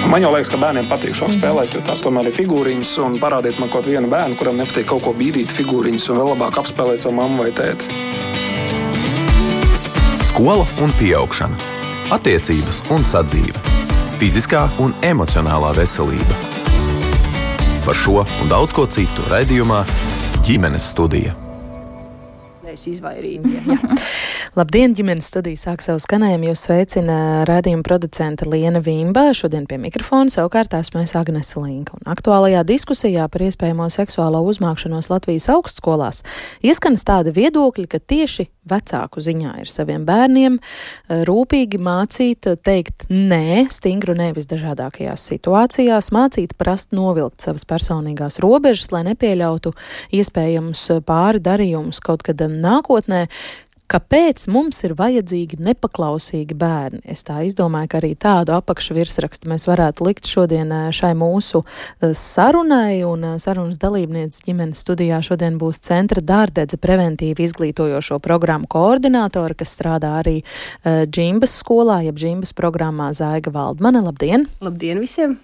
Man jau liekas, ka bērniem patīk šāk spēlēt, jo tās tomēr ir figūriņas, un parādiet man kaut vienu bērnu, kuram nepatīk kaut ko bīdīt figūriņas un vēl labāk apspēlēt savu mammu vai tēti. Skola un pieaugšana. Attiecības un sadzīve. Fiziskā un emocionālā veselība. Par šo un daudz ko citu raidījumā Ģimenes studija. Labdien, ģimenes studija sāk savu skanējumu. Jūs sveicina raidījuma producente Liena Vimba. Šodien pie mikrofona savukārt esmu es Agnese Linka. Un aktuālajā diskusijā par iespējamo seksuālo uzmākšanos Latvijas augstskolās ieskanas tādi viedokļi, ka tieši vecāku ziņā ir saviem bērniem rūpīgi mācīt teikt nē, stingru nē visdažādākajās situācijās, mācīt prast novilkt savas personīgās robežas, lai nepieļautu iespējamus pāri darījumus kaut kad nākotnē. Kāpēc mums ir vajadzīgi nepaklausīgi bērni? Es tā izdomāju, ka arī tādu apakšu virsrakstu mēs varētu likt šodien šai mūsu sarunai, un sarunas dalībniece ģimenes studijā šodien būs Centra Dārdedze preventīvi izglītojošo programmu koordinātora, kas strādā arī Džimbas skolā, jeb Džimbas programmā Zaiga Valdmane. Labdien! Labdien visiem!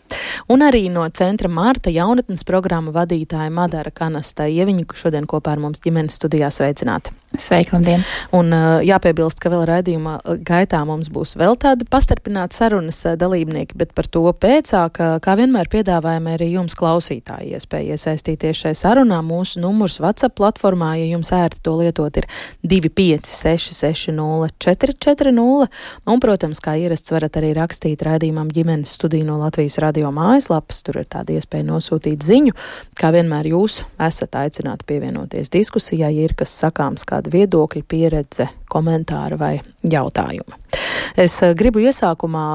Un arī no Centra Marta jaunatnes programma vadītāja Madara Kanasta. Ieviņu šodien kopā ar mums ģimenes studijā sveicināti. Sveiki, labdien! Un jāpiebilst, ka vēl raidījuma gaitā mums būs vēl tādi pastarpināti sarunas dalībnieki, bet par to pēcāk, kā vienmēr piedāvājam arī jums klausītāji iespēja iesaistīties šai sarunā. Mūsu numurs WhatsApp platformā, ja jums ērti to lietot, ir 256 440. Un, protams, kā ierasts, varat arī rakstīt raidījumam Ģimenes studiju no Latvijas radio mājaslapas. Tur ir tāda iespēja nosūtīt ziņu. Kā vienmēr jūs esat aicināti pievienoties diskusijā, ja ir kas sakāms, kāda viedokļa, pieredze, komentāri vai jautājumi. Es gribu iesākumā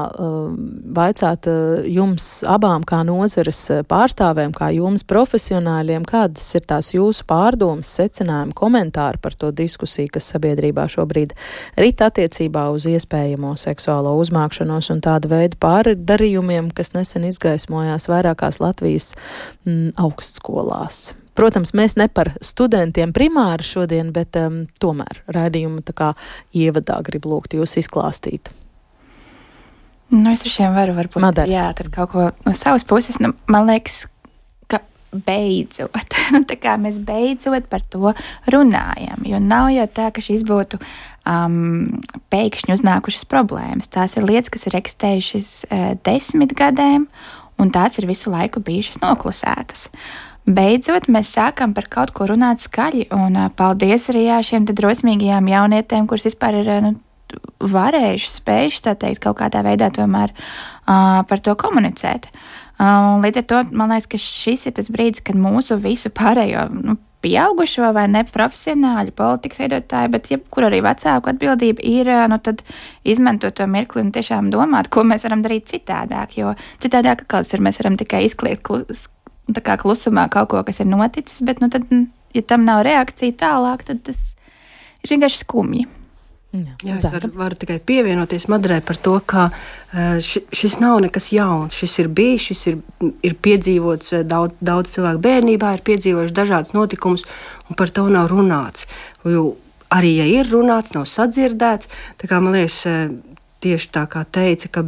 vaicāt jums abām kā nozares pārstāvēm, kā jums profesionāļiem, kādas ir tās jūsu pārdomas, secinājumi, komentāri par to diskusiju, kas sabiedrībā šobrīd rit attiecībā uz iespējamo seksuālo uzmākšanos un tāda veida pārdarījumiem, kas nesen izgaismojās vairākās Latvijas augstskolās. Protams, mēs ne par studentiem primāri šodien, bet tomēr raidījumu tā kā ievadā gribu lūgt jūs izklāstīt. Es ar šiem varu varbūt, Madara. Jā, tad kaut ko no savas puses, man liekas, ka beidzot, tā kā mēs beidzot par to runājam, jo nav jau tā, ka šis būtu pēkšņi uznākušas problēmas. Tās ir lietas, kas ir eksistējušas 10 gadiem, un tās ir visu laiku bijušas noklusētas. Beidzot, mēs sākam par kaut ko runāt skaļi, un paldies arī šiem drosmīgajām jaunietēm, kuras vispār ir varējušas, spējušas, tā teikt, kaut kādā veidā tomēr par to komunicēt. Līdz ar to, man liekas, ka šis ir tas brīdis, kad mūsu visu pārējo pieaugušo vai neprofesionāļu politikas veidotāju, bet jebkur arī vecāku atbildība ir, tad izmantot to mirkli un tiešām domāt, ko mēs varam darīt citādāk, jo citādāk kāds ir, mēs varam tikai izkliegt tā kā klusumā kaut ko, kas ir noticis, bet tad, ja tam nav reakcija tālāk, tad tas ir vienkārši skumji. Jā, es varu tikai pievienoties Madarai par to, ka šis nav nekas jauns. Šis ir bijis, šis ir piedzīvots daudz cilvēku bērnībā, ir piedzīvojuši dažādas notikumus, un par to nav runāts. Jo arī, ja ir runāts, nav sadzirdēts, tā kā man liekas, tieši tā kā teica, ka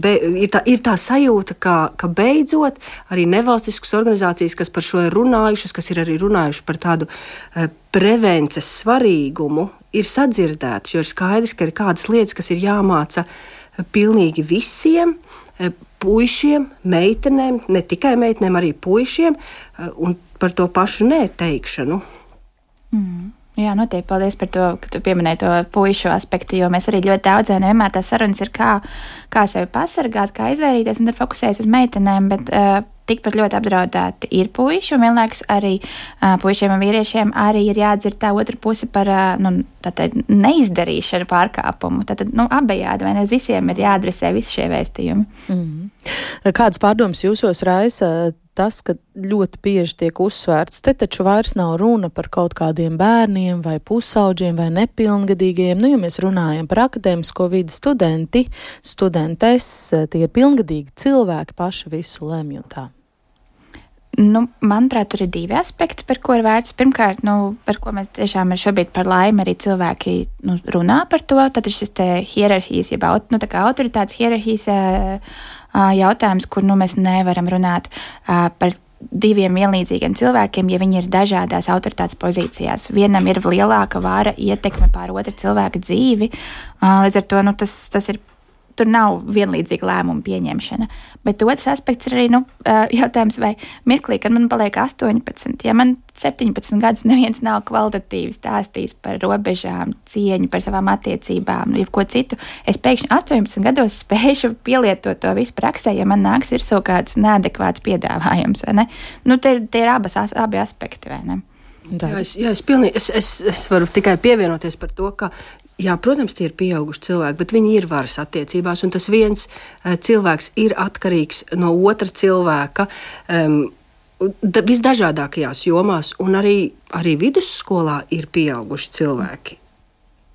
ir tā sajūta, ka beidzot arī nevalstiskas organizācijas, kas par šo ir runājušas, kas ir arī runājuši par tādu prevences svarīgumu, ir sadzirdētas, jo ir skaidrs, ka ir kādas lietas, kas ir jāmāca pilnīgi visiem puišiem, meitenēm, ne tikai meitenēm, arī puišiem, un par to pašu neteikšanu. Jā, noteikti paldies par to, ka tu pieminēji to puišu aspektu, jo mēs arī ļoti daudzēm nevienmēr tās sarunas ir kā sevi pasargāt, kā izvairīties, un tad fokusējas uz meitenēm, bet tikpat ļoti apdraudēti ir puiši, un vienlaikus arī puišiem un vīriešiem arī ir jāatdzird tā otra puse par neizdarīšanu pārkāpumu. Tātad, abejādi, vai ne, uz visiem ir jāadresē visi šie vēstījumi. Kādas pārdomas jūsos raisa tas, ka ļoti bieži tiek uzsvērts, te taču vairs nav runa par kaut kādiem bērniem vai pusauģiem vai nepilngadīgajiem. Ja mēs runājam par akadēmisko vidi studentes, tie ir pilngadīgi cilvēki, paši visu lemj un tā. Manuprāt, tur ir divi aspekti, par ko ir vērts. Pirmkārt, par ko mēs tiešām šobrīd par laimi arī cilvēki runā par to. Tad ir šis te hierarhijas, jeb autoritātes hierarhijas jautājums, kur mēs nevaram runāt par diviem vienlīdzīgiem cilvēkiem, ja viņi ir dažādās autoritātes pozīcijās. Vienam ir lielāka vara ietekme pār otra cilvēka dzīvi, līdz ar to tas ir. Tur nav vienlīdzīga lēmuma pieņemšana. Bet otrs aspekts ir arī jautājums, vai mirklī, kad man paliek 18, ja man 17 gadus neviens nav kvalitatīvi stāstījis par robežām, cieņu, par savām attiecībām, jebko citu, es pēkšņi 18 gados spēšu pielietot to visu praksē, ja man nāks ir kāds neadekvāts piedāvājums, vai ne? Tie ir abi aspekti, vai ne? Es varu tikai pievienoties par to, ka jā, protams, tie ir pieauguši cilvēki, bet viņi ir varas attiecībās, un tas viens cilvēks ir atkarīgs no otra cilvēka visdažādākajās jomās, un arī vidusskolā ir pieauguši cilvēki.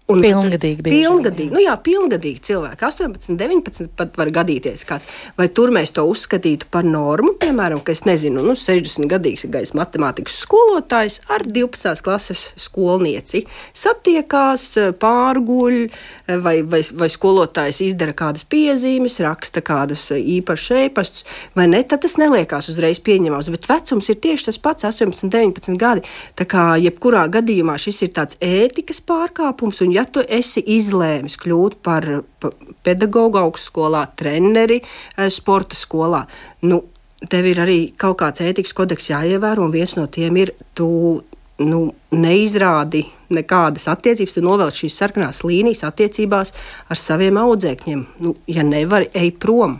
Pilngadīgi. Pilngadīgi cilvēki. 18, 19 pat var gadīties kāds. Vai tur mēs to uzskatītu par normu? Piemēram, ka es nezinu, 60-gadīgs matemātikas skolotājs ar 12. klases skolnieci satiekās, pārguļ, vai skolotājs izdara kādas piezīmes, raksta kādas īpašas ēpastus, vai ne? Tad tas neliekās uzreiz pieņemams, bet vecums ir tieši tas pats, 18, 19 gadi. Tā kā jebkurā gadījumā šis ir tāds ētikas pārkāpums, un ja tu esi izlēmis kļūt par pedagogu augstskolā, treneri sporta skolā, tev ir arī kaut kāds ētikas kodeks jāievēro, un viens no tiem ir, tu neizrādi nekādas attiecības, tu novelc šīs sarkanās līnijas attiecībās ar saviem audzēkņiem. Ja nevari, ej prom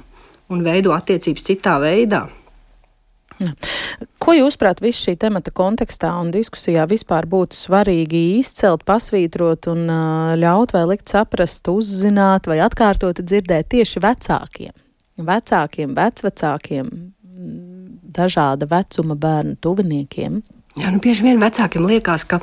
un veido attiecības citā veidā. Jā. Ko jūsuprāt visu šī temata kontekstā un diskusijā vispār būtu svarīgi izcelt, pasvītrot un ļaut vai likt saprast, uzzināt vai atkārtot dzirdēt tieši vecākiem, vecvecākiem, dažāda vecuma bērnu tuviniekiem? Jā, bieži vien vecākiem liekas, ka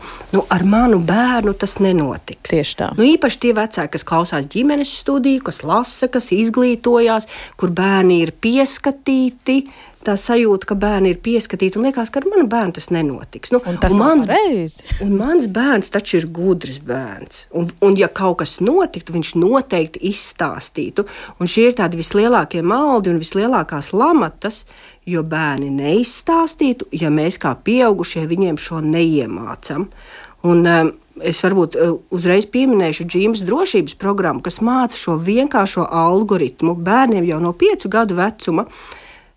ar manu bērnu tas nenotiks. Tieši tā. Īpaši tie vecāki, kas klausās ģimenes studiju, kas lasa, kas izglītojās, kur bērni ir pieskatīti, tā sajūta, ka bērni ir pieskatīti, un liekas, ka ar manu bērnu tas nenotiks. Un tas nav pareizi. Un mans bērns taču ir gudrs bērns. Un ja kaut kas notiktu, viņš noteikti izstāstītu. Un šie ir tādi vislielākie maldi un vislielākās lamatas, jo bērni neizstāstītu, ja mēs kā pieaugušie viņiem šo neiemācam. Un es varbūt uzreiz pieminēšu Džīmas drošības programmu, kas māca šo vienkāršo algoritmu bērniem jau no 5 gadu vecuma,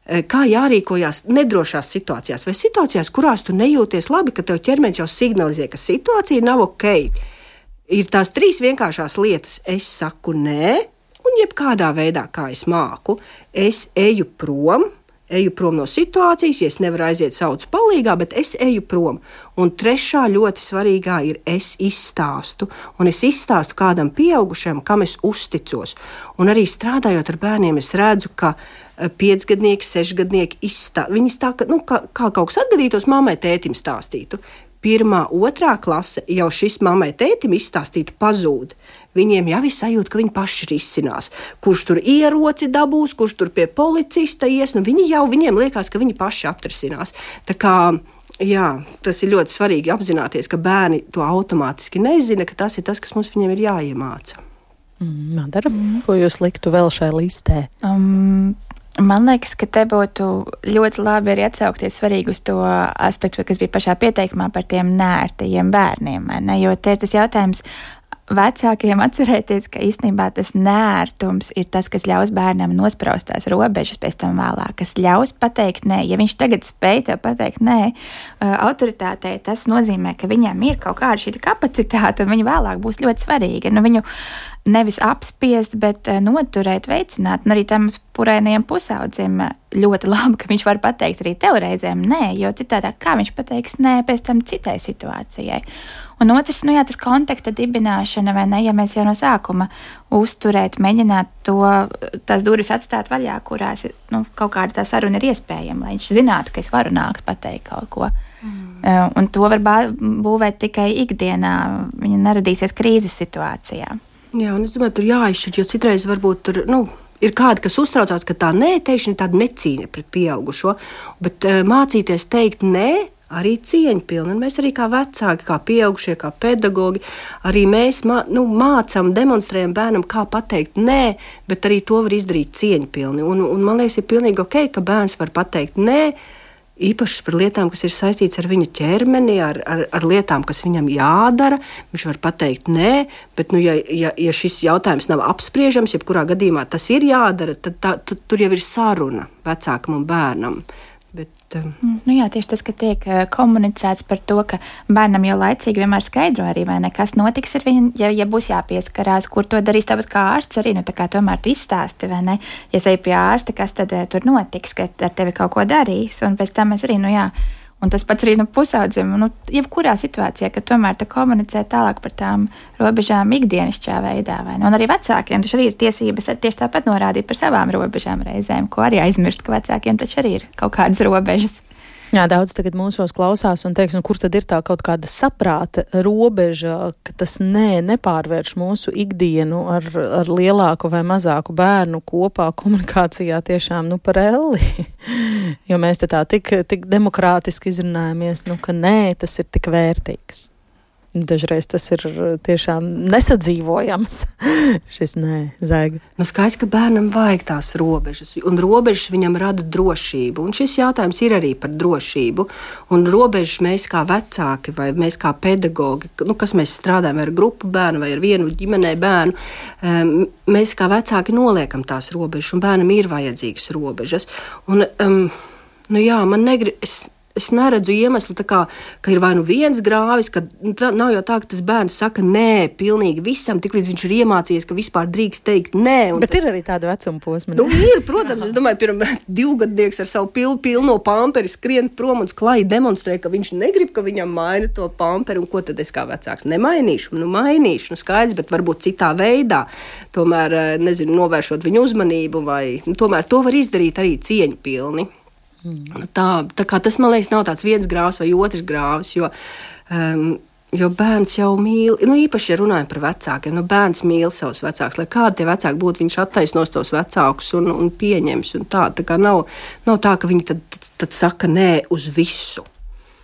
kā jārīkojās nedrošās situācijās vai situācijās, kurās tu nejūties labi, ka tev ķermenis jau signalizē, ka situācija nav ok. Ir tās 3 vienkāršās lietas. Es saku nē, un jebkādā veidā, kā es māku, es eju prom no situācijas, ja es nevaru aiziet saucu palīgā, bet es eju prom. Un 3. ļoti svarīgā ir es izstāstu. Un es izstāstu kādam pieaugušam, kam es uzticos. Un arī strādājot ar bērniem, es redzu, ka 5-gadnieki, 6-gadnieki viņi stāsta, kā kaut kas atgadītos, mammai, tētim stāstītu. 1., 2. klase jau šis mammai, tētim izstāstītu pazūd. Viņiem jau ir sajūta, ka viņi paši risinās. Kurš tur ieroci dabūs, kurš tur pie policista ies, viņiem liekas, ka viņi paši atrisinās. Tā kā, jā, tas ir ļoti svarīgi apzināties, ka bērni to automātiski nezina, ka tas ir tas, kas mums viņiem ir jāiemāca. Madara, ko jūs liktu vēl šai listē? Man liekas, ka te būtu ļoti labi arī atsaukties svarīgi uz to aspektu, kas bija pašā pieteikumā par tiem neērtajiem bērniem. Ne? Jo te ir tas jautājums vecākiem atcerēties, ka īstenībā tas neērtums ir tas, kas ļaus bērnam nospraust tās robežas pēc tam vēlāk, kas ļaus pateikt nē. Ja viņš tagad spēj tev pateikt nē autoritātei, tas nozīmē, ka viņam ir kaut kāda šī kapacitāte un viņa vēlāk būs ļoti svarīga. Viņu nevis apspiest, bet noturēt, veicināt. Un arī tam purainajam pusaudzim ļoti labi, ka viņš var pateikt arī tev reizēm nē, jo citādāk kā viņš pateiks nē pēc tam citai situācijai. Un otrs, tas kontakta dibināšana, vai ne, ja mēs jau no sākuma uzturēt, mēģināt tās durvis atstāt vaļā, kurās kaut kāda tā saruna ir iespējama, lai viņš zinātu, ka es varu nākt pateikt kaut ko. Un to var būvēt tikai ikdienā, viņa neradīsies krīzes situācijā. Jā, un es domāju, tur jāizšķir, jo citreiz varbūt tur, ir kādi, kas uztraucās, ka tā nē teikšana ir tāda necīņa pret pieaugušo, bet mācīties teikt nē arī cieņpilni. Un mēs arī kā vecāki, kā pieaugušie, kā pedagogi, arī mēs mācām, demonstrējam bērnam, kā pateikt nē, bet arī to var izdarīt cieņpilni. Un man liekas, ir pilnīgi ok, ka bērns var pateikt nē, īpaši par lietām, kas ir saistītas ar viņa ķermeni, ar lietām, kas viņam jādara. Viņš var pateikt nē, bet, ja šis jautājums nav apspriežams, jebkurā gadījumā tas ir jādara, tad tur jau ir saruna vecākam un bērnam. Tieši tas, ka tiek komunicēts par to, ka bērnam jau laicīgi vienmēr skaidro arī, vai ne, kas notiks ar viņu, ja būs jāpieskarās, kur to darīs, tāpat kā ārsts arī, tā kā tomēr tu izstāsti, vai ne, ja ej pie ārsta, kas tad tur notiks, ka ar tevi kaut ko darīs, un pēc tam mēs arī, un tas pats arī pusaudzim, jebkurā situācijā, ka tomēr tu komunicē tālāk par tām robežām ikdienišķā veidā, vai ne, un arī vecākiem taču arī ir tiesības tieši tāpat norādīt par savām robežām reizēm, ko arī aizmirst, ka vecākiem taču arī ir kaut kādas robežas. Jā, daudz tagad mūsos klausās un teiks, kur tad ir tā kaut kāda saprāta robeža, ka tas nepārvērš mūsu ikdienu ar lielāku vai mazāku bērnu kopā komunikācijā tiešām par elli. Jo mēs tā tik demokrātiski izrunājamies, ka nē, tas ir tik vērtīgs. Dažreiz tas ir tiešām nesadzīvojams. Šis Zaiga. Skaidrs, ka bērnam vajag tās robežas, un robežas viņam rada drošību. Un šis jautājums ir arī par drošību. Un robežas mēs kā vecāki vai mēs kā pedagogi, kas mēs strādājam ar grupu bērnu vai ar vienu ģimenē bērnu, mēs kā vecāki noliekam tās robežas, un bērnam ir vajadzīgas robežas. Un, man Es neredzu iemeslu, ka ir vai viens grāvis, ka nav jau tā, ka tas bērns saka nē pilnīgi visam, tiklīdz viņš ir iemācījies, ka vispār drīkst teikt nē. Bet ir arī tāda vecuma posma. Ir, protams, es domāju, pirmā 2-gadnieks ar savu pilno pamperi skrien prom un klāji demonstrē, ka viņš negrib, ka viņam maina to pamperi, un ko tad es kā vecāks nemainīšu? Mainīšu, skaidrs, bet varbūt citā veidā. Tomēr, novēršot viņu uzmanību, vai tomēr to var izdarīt arī cieņpilni. Tā kā tas, man liekas, nav tāds viens grāvs vai otrs grāvs, jo bērns jau mīl, īpaši, ja runājam par vecākiem, bērns mīl savus vecākus, lai kādi tie vecāki būtu, viņš attaisnos tos vecākus un pieņems, un tā kā nav tā, ka viņi tad saka nē uz visu.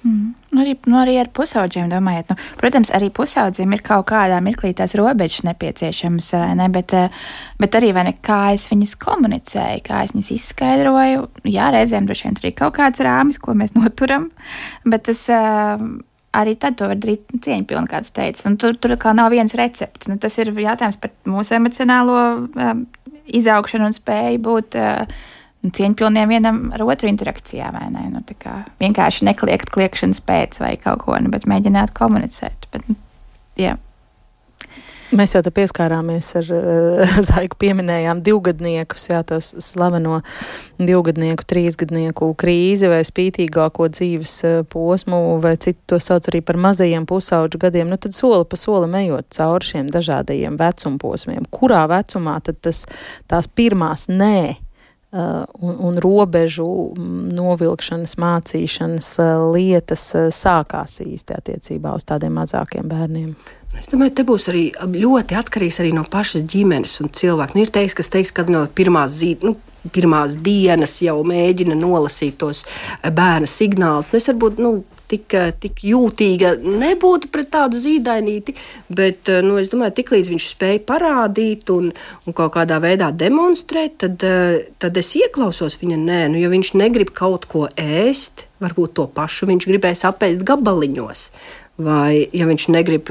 Arī ar pusauģiem domājot. Protams, arī pusaudzim ir kaut kādā mirklī tās robežas nepieciešamas, ne? Bet arī kā es viņas komunicēju, kā es viņas izskaidroju. Jā, reizēm droši vien tur ir kaut kāds rāmis, ko mēs noturam, bet tas arī tad to var darīt cieņpilni, kā tu teici. Tur kā nav viens recepts. Tas ir jautājums par mūsu emocionālo izaugšanu un spēju būt cieņpilniem vienam ar otru interakcijā, vai ne? Vienkārši nekliegt kliekšanas pēc vai kaut ko, bet mēģināt komunicēt. Jā. Mēs jau te pieskārāmies ar Zaigu, pieminējām 2-gadniekus, tos slaveno 2-gadnieku, 3-gadnieku krīzi vai spītīgāko dzīves posmu, vai citu to sauc arī par mazajiem pusauģu gadiem. Tad soli pa solim ejot cauri šiem dažādajiem vecumposmiem. Kurā vecumā tad tās pirmās nē un robežu novilkšanas, mācīšanas lietas sākās īsti attiecībā uz tādiem mazākiem bērniem? Es domāju, te būs arī ļoti atkarīgs arī no pašas ģimenes un cilvēku. Ir teiks, kas teiks, ka no pirmās dienas jau mēģina nolasīt tos bērna signālus. Es varbūt tik jūtīga nebūtu pret tādu zīdainīti, bet es domāju, tiklīdz viņš spēja parādīt un kaut kādā veidā demonstrēt, tad es ieklausos viņa nē. Ja viņš negrib kaut ko ēst, varbūt to pašu viņš gribēs apēst gabaliņos. Vai, ja viņš negrib,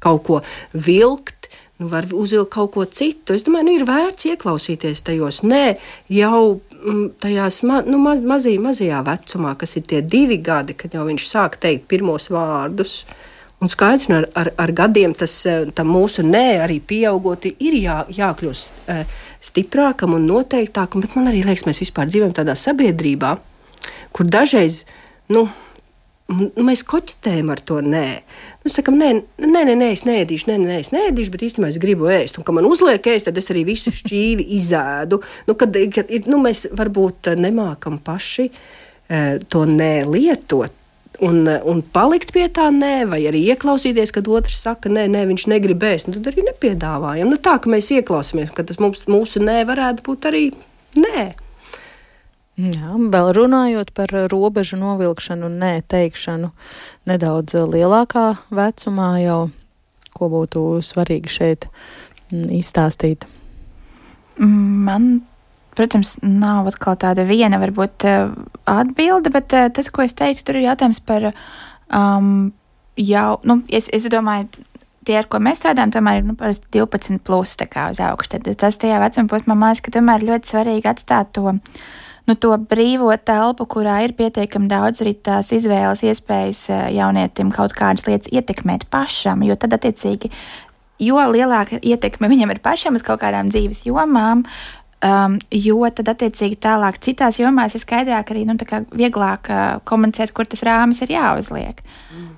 kaut ko vilkt, var uzvilkt kaut ko citu. Es domāju, ir vērts ieklausīties tajos. Nē, jau tajās mazajā vecumā, kas ir tie 2 gadi, kad jau viņš sāk teikt pirmos vārdus. Un skaidrs, ar gadiem tam mūsu nē arī pieaugot ir jākļūst stiprākam un noteiktākam, bet man arī liekas, mēs vispār dzīvojam tādā sabiedrībā, kur dažreiz, mēs koķitējam ar to nē. Mēs sakam, nē, es neēdīšu, bet īstenībā es gribu ēst. Un, kad man uzliek ēst, tad es arī visu šķīvi izēdu. Kad mēs varbūt nemākam paši to nē lietot un palikt pie tā nē, vai arī ieklausīties, kad otrs saka nē, viņš negrib ēst. Tad arī nepiedāvājam. Tā, ka mēs ieklausāmies, ka tas mūsu nē varētu būt arī nē. Jā, vēl runājot par robežu novilkšanu un nē teikšanu nedaudz lielākā vecumā jau, ko būtu svarīgi šeit izstāstīt? Man, protams, nav atkal tāda viena varbūt atbilde, bet tas, ko es teiktu, tur ir jautājums par es domāju, tie, ar ko mēs strādājam, tomēr ir 12 plus tā kā uz augšu. Tad tas tajā vecuma posmā, man liekas, ka tomēr ļoti svarīgi atstāt to brīvo telpu, kurā ir pietiekami daudz arī tās izvēles iespējas jaunietim kaut kādas lietas ietekmēt pašam, jo tad attiecīgi, jo lielāka ietekme viņam ir pašam uz kaut kādām dzīves jomām, jo tad attiecīgi tālāk citās jomās ir skaidrāk arī tā kā vieglāk komunicēt, kur tas rāmis ir jāuzliek.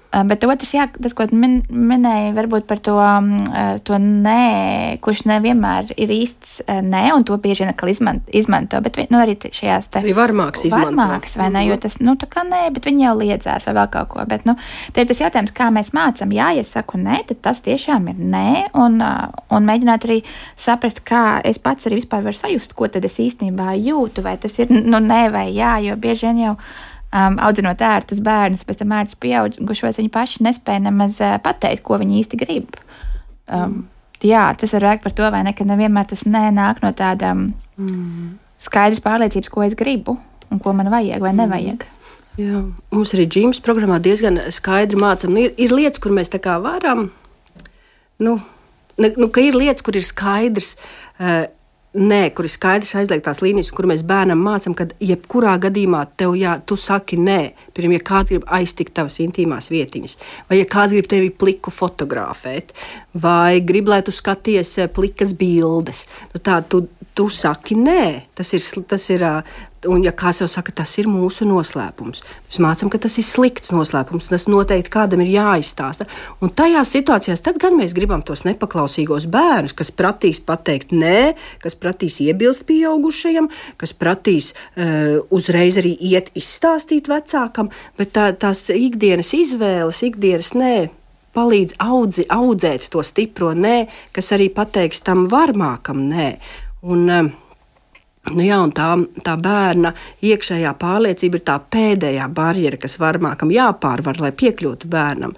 Bet otrs, tas, ko minēja varbūt par to nē, kurš nevienmēr ir īsts nē, un to bieži vien atkal izmanto, bet arī šajās te... Arī varmāks izmanto. Varmāks, vai ne, jo tas, tā kā nē, bet viņi jau liedzās vai vēl kaut ko, bet, te ir tas jautājums, kā mēs mācam, ja saku nē, tad tas tiešām ir nē, un mēģināt arī saprast, kā es pats arī vispār varu sajust, ko tad es īstenībā jūtu, vai tas ir, nē vai jā, jo bieži vien jau audzinot ērtus bērnus, pēc tam ērtus pieaugušos, viņi paši nespēja nemaz pateikt, ko viņi īsti grib. Jā, tas var vajag par to, vai ne, ka nevienmēr tas nāk no tāda skaidras pārliecības, ko es gribu un ko man vajag vai nevajag. Jā, mums arī džīmas programmā diezgan skaidri mācam. Ir lietas, kur mēs tā kā varam, ka ir lietas, kur ir skaidrs, kur ir skaidrs aizliegtās līnijas, kur mēs bērnam mācam, ka jebkurā gadījumā tu saki nē, piemēram, ja kāds grib aiztikt tavas intīmās vietiņas, vai ja kāds grib tevi pliku fotografēt, vai grib, lai tu skaties plikas bildes, tu saki nē, tas ir, un ja kāds jau saka, tas ir mūsu noslēpums. Mēs mācam, ka tas ir slikts noslēpums, un tas noteikti kādam ir jāizstāsta. Un tajās situācijās tad gan mēs gribam tos nepaklausīgos bērnus, kas pratīs pateikt nē, kas pratīs iebilst pieaugušajam, kas pratīs uzreiz arī iet izstāstīt vecākam, bet tās ikdienas izvēles, ikdienas nē, palīdz audzēt to stipro nē, kas arī pateiks tam varmākam nē. Un tā bērna iekšējā pārliecība ir tā pēdējā barjera, kas varmākam jāpārvar, lai piekļūtu bērnam.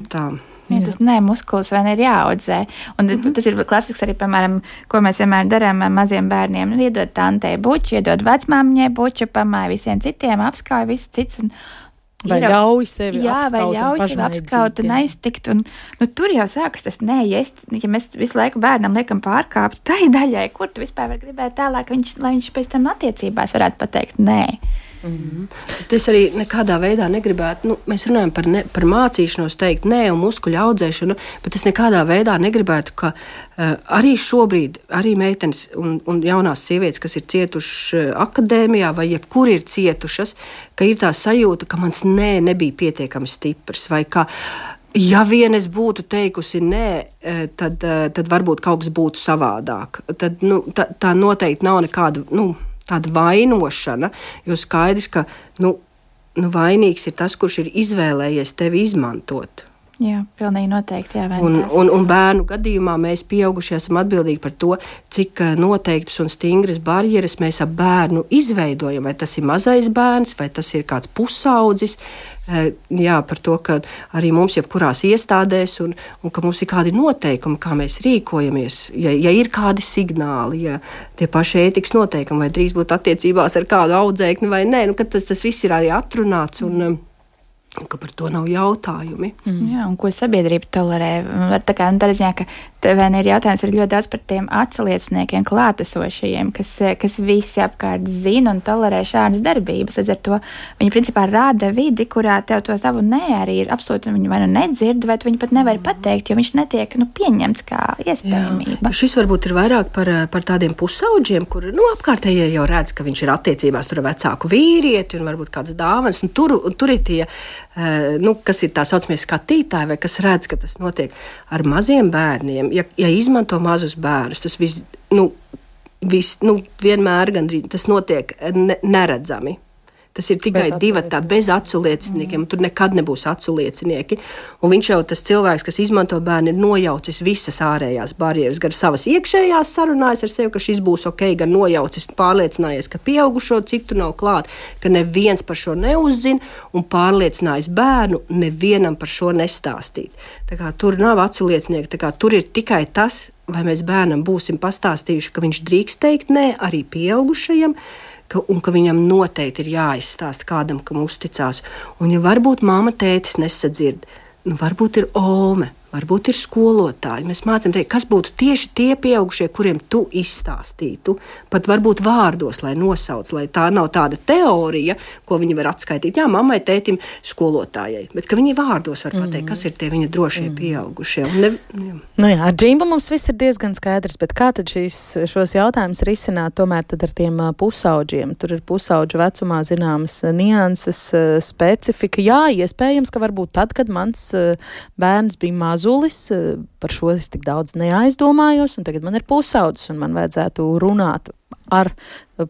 Tas nē, muskulis vai ne ir jāaudzē. Un tas ir klasisks arī, piemēram, ko mēs vienmēr darām maziem bērniem. Iedod tantei buču, iedod vecmāmiņai buču, pamāja visiem citiem, apskauj visus cits un vai ļauj sevi apskaut un aiztikt. Un, tur jau sākas tas nē, ja mēs visu laiku bērnam liekam pārkāpt tai daļai, kur tu vispār var gribēt tālāk, lai viņš pēc tam attiecībās varētu pateikt nē. Es arī nekādā veidā negribētu, mēs runājam par mācīšanos teikt nē un muskuļu audzēšanu, bet es nekādā veidā negribētu, ka arī šobrīd, arī meitenes un jaunās sievietes, kas ir cietušas akadēmijā vai jebkur ir cietušas, ka ir tā sajūta, ka mans nē nebija pietiekami stiprs, vai ka ja vien es būtu teikusi nē, tad varbūt kaut kas būtu savādāk. Tad, tā noteikti nav nekāda, tāda vainošana, jo skaidrs, ka vainīgs ir tas, kurš ir izvēlējies tevi izmantot. Jā, pilnīgi noteikti. Jā, un bērnu gadījumā mēs pieaugušie esam atbildīgi par to, cik noteiktas un stingras barjeras mēs ap bērnu izveidojam. Vai tas ir mazais bērns, vai tas ir kāds pusaudzis. Jā, par to, ka arī mums jebkurās iestādēs un ka mums ir kādi noteikumi, kā mēs rīkojamies. Ja ir kādi signāli, ja tie paši ētikas noteikumi, vai drīz būt attiecībās ar kādu audzēkni vai nē, ka tas viss ir arī atrunāts un ka par to nav jautājumi. Jā, un ko sabiedrība tolerē. Tā kā tādā ziņā, ka tev ir jautājums arī ļoti daudz par tiem atslieciniekiem, klātesošajiem, kas visi apkārt zina un tolerē šādas darbības. Līdz ar to viņi principā rāda vidi, kurā tev to savu nē arī ir absolūti, viņi vai nedzird, vai viņi pat nevar pateikt, jo viņš netiek pieņemts kā iespējamība. Jā. Šis varbūt ir vairāk par tādiem pusauģiem, kur apkārtējie jau redz, ka viņš ir attiecībās tur ar vecāku vīrieti un varbūt kāds dāvans, un tur ir tie kas ir tā saucamie skatītāji, vai kas redz, ka tas notiek ar maziem bērniem. Ja izmanto mazus bērnus, tas vienmēr gandrīz tas notiek neredzami. Tas ir tikai divatā, bez aculieciniekiem. Tur nekad nebūs aculiecinieki. Un viņš jau tas cilvēks, kas izmanto bērnu, ir nojaucis visas ārējās barjeras. Gan savas iekšējās sarunājas ar sevi, ka šis būs ok, gan nojaucis, pārliecinājies, ka pieaugušo citu nav klāt, ka neviens par šo neuzzina un pārliecinājis bērnu nevienam par šo nestāstīt. Tā kā tur nav aculiecinieki, tā kā tur ir tikai tas, vai mēs bērnam būsim pastāstījuši, ka viņš drīkst teikt nē arī pieaugušajam, un ka viņam noteikti ir jāizstāsta kādam, kam uzticās. Un ja varbūt mamma, tētis nesadzird, varbūt ir ome, varbūt ir skolotāji. Mēs mācām teikt, kas būtu tieši tie pieaugušie, kuriem tu izstāstītu, pat varbūt vārdos, lai nosauc, lai tā nav tāda teorija, ko viņi var atskaitīt. Jā, mammai, tētim, skolotājai, bet ka viņi vārdos var pateikt, kas ir tie viņa drošie pieaugušie. Ar Džimbu mums viss ir diezgan skaidrs, bet kā tad šos jautājumus risināt tomēr tad ar tiem pusauģiem? Tur ir pusauģu vecumā zināmas nianses, specifika. Jā, iespējams, ka varbūt tad, kad mans bērns bija mazulis, par šo es tik daudz neaizdomājos, un tagad man ir pusaudzis, un man vajadzētu runāt ar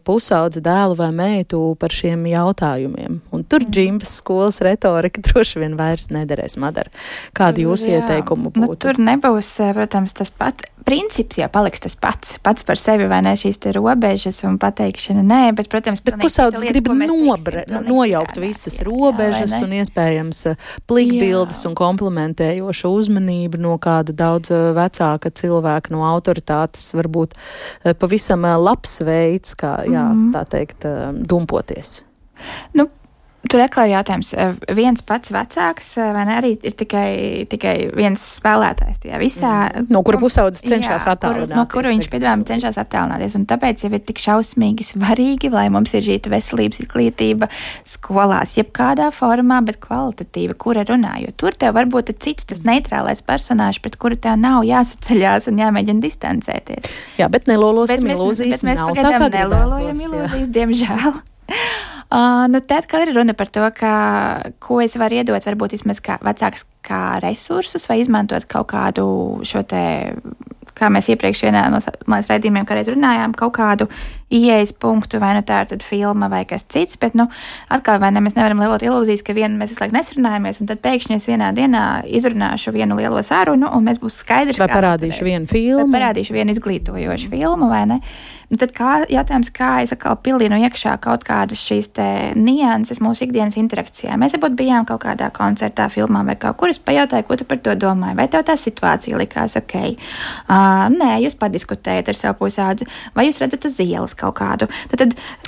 pusaudzi dēlu vai meitu par šiem jautājumiem. Un tur Džimbas skolas retorika droši vien vairs nederēs. Madara, kādi jūsu ieteikumu būtu? Tur nebūs, protams, tas pats. Princips jau paliks tas pats par sevi, vai ne, šīs te robežas un pateikšana, nē, bet, protams, bet pusaudzis grib nojaukt visas robežas un iespējams plikbildes un komplementējoša uzmanība no kāda daudz vecāka cilvēka, no autoritātes, varbūt pavisam labs veids, kā, tā teikt, dumpoties. Tur atkal jautājums. Viens pats vecāks, vai ne, arī ir tikai viens spēlētājs tajā visā. No kura pusaudzis cenšas attālināties. No kura viņš, piedāvājam, cenšas attālināties. Un tāpēc jau ir tik šausmīgi svarīgi, lai mums ir šī veselības izglītība skolās, jebkādā formā, bet kvalitatīva, kura runā. Jo tur tev varbūt ir cits tas neitrālais personāžs, pret kuru tev nav jāsaceļās un jāmēģina distancēties. Jā, bet nelolosim ilūzijas. Bet mēs pagaidām nelolojam ilūzijas, diemžēl. Tad, kad ir runa par to, ko es varu iedot, varbūt vismaz kā vecāks kā resursus vai izmantot kaut kādu šo te, kā mēs iepriekš vienā no mājas raidījumiem kādreiz runājām, kaut kādu ieejas punktu, vai tā ir tad filma vai kas cits, bet, atkal vai ne, mēs nevaram lielot ilūzijas, ka mēs visu laiku nesarunājamies, un tad pēkšņi es vienā dienā izrunāšu vienu lielo sarunu, un mēs būs skaidrs, vai parādīšu vienu filmu. Vai parādīšu vienu izglītojošu filmu, vai ne? Tad jautājums, kā es atkal pilinu iekšā kaut kādas šīs te nianses mūsu ikdienas interakcijā. Mēs varbūt bijām kaut kādā koncertā, filmā vai kaut kur, es pajautāju, ko tu par to domāji, vai tev tā situācija likās ok? Nē, jūs padiskutējat ar savu pusaudzi, vai jūs redzat uz ielas kaut kādu.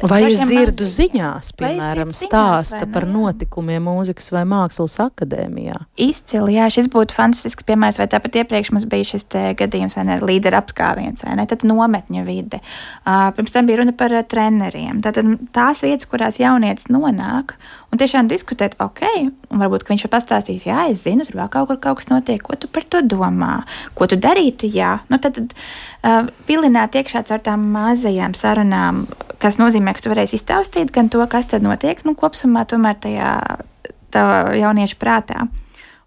Vai es dzirdu ziņās, piemēram, stāsta par notikumiem mūzikas vai mākslas akadēmijā? Izcili, jā, šis būtu fantastisks piemērs, vai tāpat iepriekš mums bija šis te gadījums, vai ne, līderu apskāviens, vai ne, tad nometņu vide. Pirms tam bija runa par treneriem. Tātad tās vietas, kurās jaunietis nonāk un tiešām diskutēt, ok, un varbūt, ka viņš var pastāstīt, jā, es zinu, tur vēl kaut kas notiek, ko tu par to domā, ko tu darītu, jā. Tad pilināt iekšā caur tām mazajām sarunām, kas nozīmē, ka tu varēsi iztaustīt gan to, kas tad notiek, kopsumā tomēr tajā tava jaunieša prātā.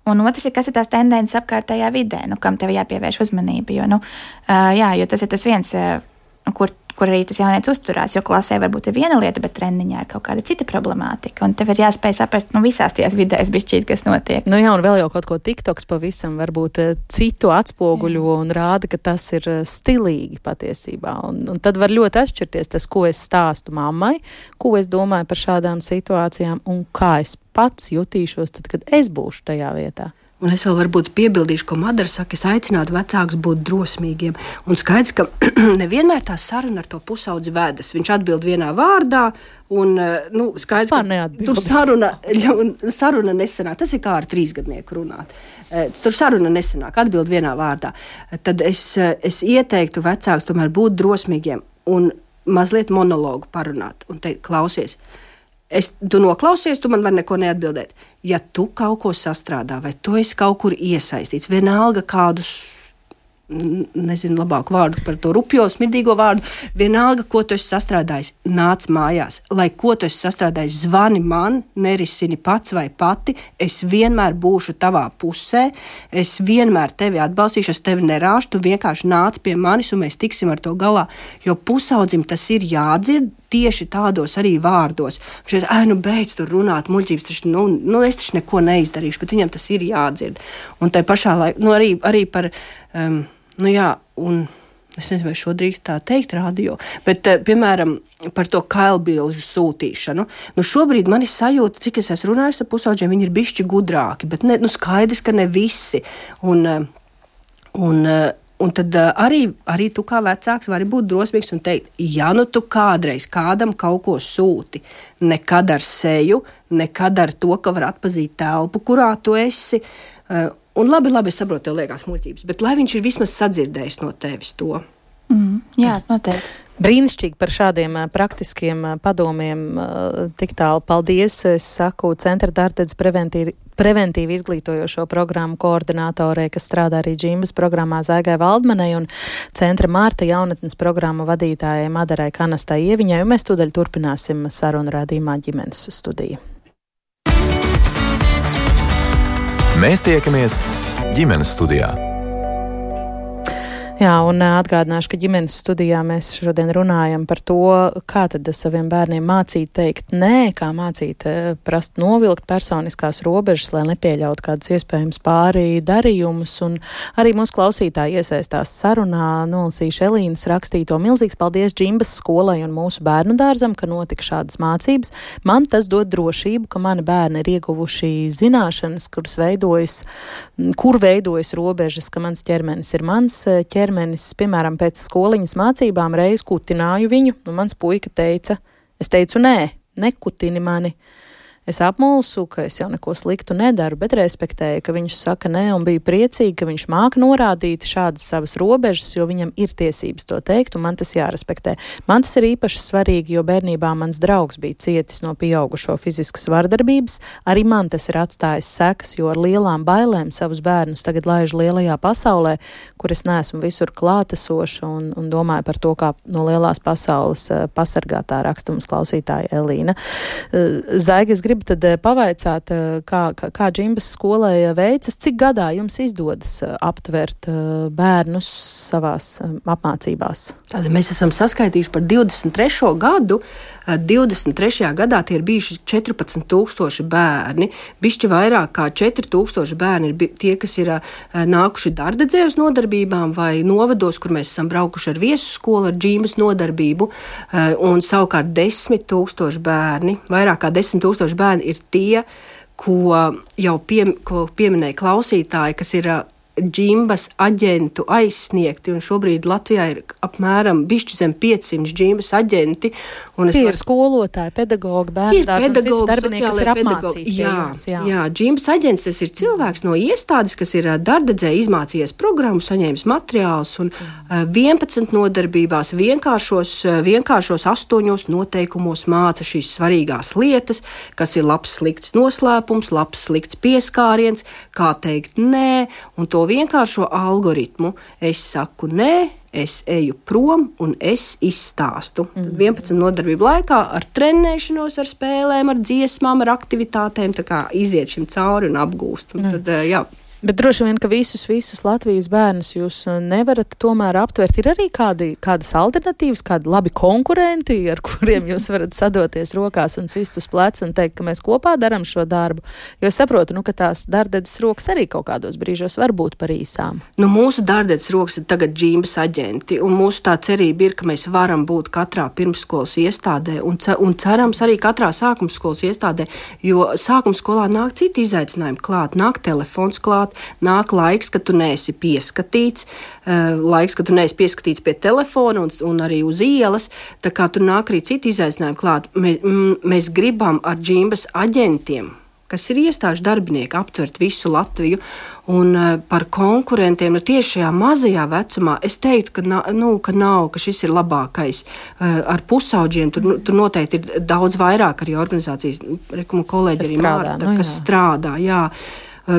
Un otrs ir, kas ir tās tendences apkārtējā vidē, kam tev jāpievērš uzmanība, jo tas ir tas viens, kur arī tas jaunietis uzturās, jo klasē varbūt ir viena lieta, bet treniņā ir kaut kāda cita problemātika, un tev ir jāspēj saprast, visās tajās vidēs bišķīt, kas notiek. Jā, un vēl jau kaut ko TikToks pavisam varbūt citu atspoguļo un rāda, ka tas ir stilīgi patiesībā, un tad var ļoti atšķirties tas, ko es stāstu mammai, ko es domāju par šādām situācijām, un kā es pats jutīšos tad, kad es būšu tajā vietā. Un es vēl varbūt piebildīšu, ko Madara saka, es aicinātu vecākus būt drosmīgiem. Un skaidrs, ka nevienmēr tā saruna ar to pusaudzi vedas. Viņš atbild vienā vārdā, un skaidrs, ka tur saruna nesanāk. Tas ir kā ar 3-gadnieku runāt. Tur saruna nesanāk, atbild vienā vārdā. Tad es ieteiktu vecākus tomēr būt drosmīgiem un mazliet monologu parunāt un teikt, klausies. Tu noklausies, tu man var neko neatbildēt. Ja tu kaut ko sastrādā, vai tu esi kaut kur iesaistīts, vienalga kādus, nezinu labāku vārdu par to rupjo, smirdīgo vārdu, vienalga, ko tu esi sastrādājis, nāc mājās. Lai ko tu esi sastrādājis, zvani man, nerisini pats vai pati, es vienmēr būšu tavā pusē, es vienmēr tevi atbalstīšu, es tevi nerāšu, tu vienkārši nāc pie manis un mēs tiksim ar to galā, jo pusaudzim tas ir jādzird, tieši tādos arī vārdos. Viņš teica, beidz tur runāt muļķības, taču, es taču neko neizdarīšu, bet viņam tas ir jādzird. Un tai pašā laikā, arī par, un es nezinu, vai šo drīkst tā teikt radio, bet, piemēram, par to kailbilžu sūtīšanu. Šobrīd man ir sajūta, cik es esmu runājusi ar pusauģiem, viņi ir bišķi gudrāki, bet skaidrs, ka ne visi. Un tad arī tu kā vecāks vari būt drosmīgs un teikt, ja tu kādreiz kādam kaut ko sūti, nekad ar seju, nekad ar to, ka var atpazīt telpu, kurā tu esi. Un labi, es saprotu, tev liekas muļķības, bet lai viņš ir vismaz sadzirdējis no tevis to. Jā, noteikti. Brīnišķīgi par šādiem praktiskiem padomiem tik tālu. Paldies, es saku Centra Dārdedz preventīvi izglītojošo programmu koordinātorei, kas strādā arī Džimbas programmā Zaigai Valdmanai un Centra Mārta jaunatnes programmu vadītājai Madarai Kanastai Ieviņai, un mēs tūdaļ turpināsim sarunu raidījumā ģimenes studija. Mēs tiekamies ģimenes studijā. Jā, un atgādināšu, ka ģimenes studijā mēs šodien runājam par to, kā tad saviem bērniem mācīt teikt nē, kā mācīt prast novilkt personiskās robežas, lai nepieļautu kādus iespējams pāri darījumus, un arī mūsu klausītāji iesaistās sarunā. Nolasīšu Elīnas rakstīto. Milzīgs paldies Džimbas skolai un mūsu bērnu dārzam, ka notika šādas mācības. Man tas dod drošību, ka mani bērni ir ieguvuši zināšanas, kur veidojas robežas, ka mans ķermenis ir mans ķermenis. Piemēram, pēc skoliņas mācībām reiz kutināju viņu, un mans puika teica, es teicu, nē, nekutini mani. Es apmulsu, ka es jau neko sliktu nedaru, bet respektēju, ka viņš saka nē un biju priecīgi, ka viņš māka norādīt šādas savas robežas, jo viņam ir tiesības to teikt un man tas jārespektē. Man tas ir īpaši svarīgi, jo bērnībā mans draugs bija cietis no pieaugušo fiziskas vardarbības. Arī man tas ir atstājis sekas, jo ar lielām bailēm savus bērnus tagad laižu lielajā pasaulē, kur es neesmu visur klātesoša un domāju par to, kā no lielās pasaules pasargātā raksta mums klausītāja Elīna. Zaiga, es gribu tad pavaicāt, kā Džimbas skolai veicas, cik gadā jums izdodas aptvert bērnus savās apmācībās? Tad mēs esam saskaitījuši par 23. gadu. 23. gadā tie ir bijuši 14,000 bērni. Bišķi vairāk kā 4,000 bērni ir tie, kas ir nākuši Dārdedzē uz nodarbībām vai novados, kur mēs esam braukuši ar viesu skolu, ar Džimbas nodarbību. Un savukārt 10,000 bērni, vairāk kā 10,000 bērni ir tie, ko jau pieminēja klausītāji, kas ir Džimbas aģentu aizsniegti, un šobrīd Latvijā ir apmēram bišķi zem 500 Džimbas aģenti. Tie ir skolotāji, pedagogi, bērnu dārzi un citi darbinieki, kas ir apmācīti. Jā, Džimbas aģents, tas ir cilvēks no iestādes, kas ir Dārdedzē izmācījies programmu, saņēmis materiālus un 11 nodarbībās vienkāršos 8 noteikumos māca šīs svarīgās lietas, kas ir labs slikts noslēpums, labs slikts pieskāriens, kā teikt nē, un to vienkāršo algoritmu. Es saku nē, es eju prom un es izstāstu. 11 nodarbību laikā ar trenēšanos, ar spēlēm, ar dziesmām, ar aktivitātēm, tā kā iziet šim cauri un apgūst. Un tad, jā. Bet droši vien, ka visus Latvijas bērnus jūs nevarat tomēr aptvert. Ir arī kādas alternatīvas, kādi labi konkurenti, ar kuriem jūs varat sadoties rokās un sist uz pleca un teikt, ka mēs kopā darām šo darbu. Jo es saprotu, ka tās Dārdedzes rokas arī kaut kādos brīžos var būt par īsām. Mūsu Dārdedzes rokas ir tagad Džimbas aģenti, un mūsu tā cerība ir, ka mēs varam būt katrā pirmsskolas iestādē un cerams arī katrā sākumskolas iestādē, jo sākumskolā nāk citi izaicinājumi klāt, nāk telefons klāt, nāk laiks, kad tu neesi pieskatīts, pie telefona un arī uz ielas, tā kā tur nāk arī citi izaicinājumi klāt. Mēs gribam ar Džimbas aģentiem, kas ir iestāžu darbinieki, aptvert visu Latviju, un par konkurentiem, tieši šajā mazajā vecumā, es teiktu, ka šis ir labākais. Ar pusauģiem tur noteikti ir daudz vairāk arī organizācijas, kolēģi arī Mārta, kas strādā, jā.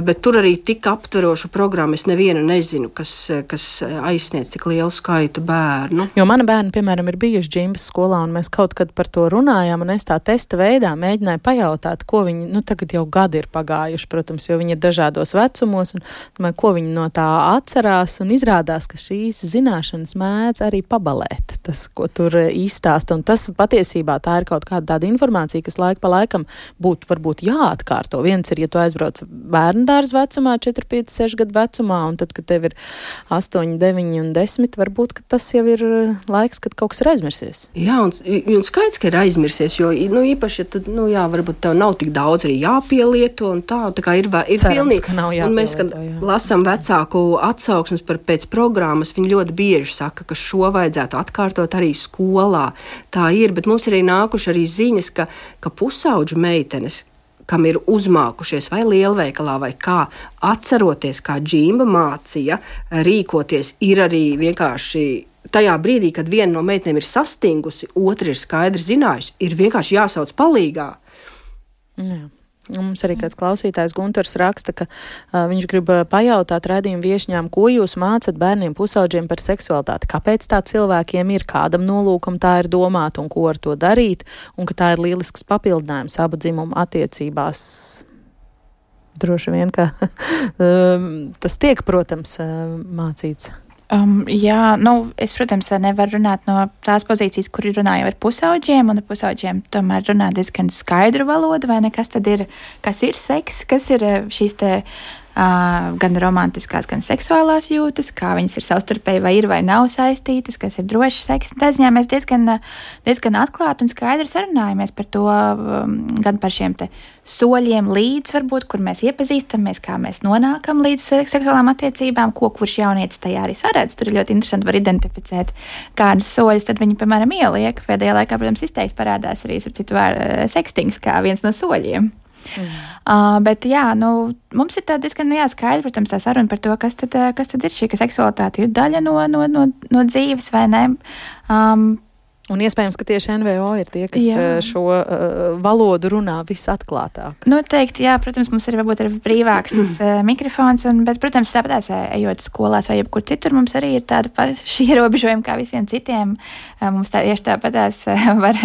bet tur arī tik aptverošu programmu es nevienu nezinu, kas aizsniedz tik lielu skaitu bērnu. Jo mani bērni, piemēram, ir bijuši džimbas skolā, un mēs kaut kad par to runājām, un es tā testa veidā mēģināju pajautāt, ko viņi, tagad jau gadi ir pagājuši, protams, jo viņi ir dažādos vecumos, un domāju, ko viņi no tā atcerās, un izrādās, ka šīs zināšanas mēdz arī pabalēt, tas, ko tur izstāsta, un tas patiesībā tā ir kaut kāda tāda informācija, kas laika pa laikam būtu varbūt jāatkārto. Viens ir, ja tu aizbrauc bērndārs vecumā, 4, 5, 6 gadu vecumā, un tad, kad tev ir 8, 9 un 10, varbūt, ka tas jau ir laiks, kad kaut kas ir aizmirsies. Jā, un skaidrs, ka ir aizmirsies, jo, īpaši, ja tad, varbūt tev nav tik daudz arī jāpielieto, un tā kā ir pilnīgi. Un mēs, kad lasām vecāku atsauksmes pēc programmas, viņi ļoti bieži saka, ka šo vajadzētu atkārtot arī skolā. Tā ir, bet mums ir arī nākuši arī ziņas, ka pusauģu meitenes, kam ir uzmākušies vai lielveikalā vai kā, atceroties, kā džimba mācīja rīkoties, ir arī vienkārši tajā brīdī, kad viena no meitenēm ir sastingusi, otra ir skaidri zinājusi, ir vienkārši jāsauc palīgā. Jā. Mums arī kāds klausītājs Gunters raksta, ka viņš grib pajautāt raidījumu viešņām, ko jūs mācat bērniem pusauģiem par seksualitāti, kāpēc tā cilvēkiem ir, kādam nolūkam tā ir domāta un ko ar to darīt, un ka tā ir lielisks papildinājums abu dzimumu attiecībās. Droši vien, ka tas tiek, protams, mācīts. Jā, es, protams, nevaru runāt no tās pozīcijas, kur runāju ar pusauģiem, un ar pusauģiem tomēr runā diezgan skaidru valodu, vai ne, kas tad ir, kas ir seks, kas ir šīs te gan romantiskās, gan seksuālās jūtas, kā viņas ir savstarpēji vai ir vai nav saistītas, kas ir drošs seks. Tā ziņā mēs diezgan atklāti un skaidri sarunājamies par to, gan par šiem te soļiem līdz, varbūt, kur mēs iepazīstamies, kā mēs nonākam līdz seksuālām attiecībām, kurš jaunietis tajā arī saredz. Tur ir ļoti interesanti var identificēt, kādus soļus tad viņi, piemēram, ieliek. Pēdējā laikā, protams, izteikti parādās arī, citu vārdu, sekstings kā viens no soļiem. Bet jā, mums ir tā diezgan skaidra, protams, tā saruna par to, kas tad ir šī, ka seksualitāte ir daļa no dzīves, vai ne? Un iespējams, ka tieši NVO ir tie, kas šo valodu runā visatklātāk. Noteikti, jā, protams, mums ir varbūt ir brīvāks tas mikrofons, bet, protams, tāpatās ejot skolās vai jebkur citur, mums arī ir tāda paša ierobežojuma kā visiem citiem. Mums tieši tāpatās var,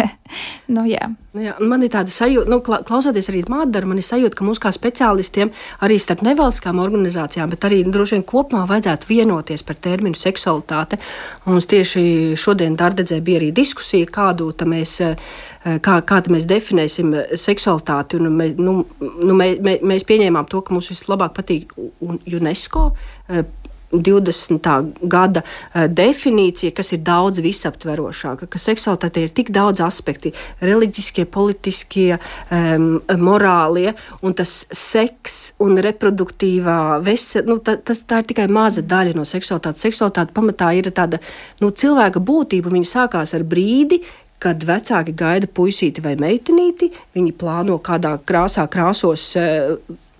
jā. Jā, man ir tāda sajūta, klausoties arī Mādaru, man ir sajūta, ka mums kā speciālistiem arī starp nevalstiskām organizācijām, bet arī droši vien kopumā vajadzētu vienoties par terminu seksualitāte. Mums tieši šodien Dārdedzē bija arī diskusija, kādu mēs definēsim seksualitāti. Un mēs pieņēmām to, ka mums vislabāk patīk UNESCO 20. gada definīcija, kas ir daudz visaptverošāka, ka seksualitāte ir tik daudz aspekti, reliģiskie, politiskie, morālie, un tas seks un reproduktīvā tā ir tikai maza daļa no seksualitātes. Seksualitāte pamatā ir tāda cilvēka būtība, viņa sākās ar brīdi, kad vecāki gaida puisīti vai meitenīti, viņi plāno kādā krāsā krāsos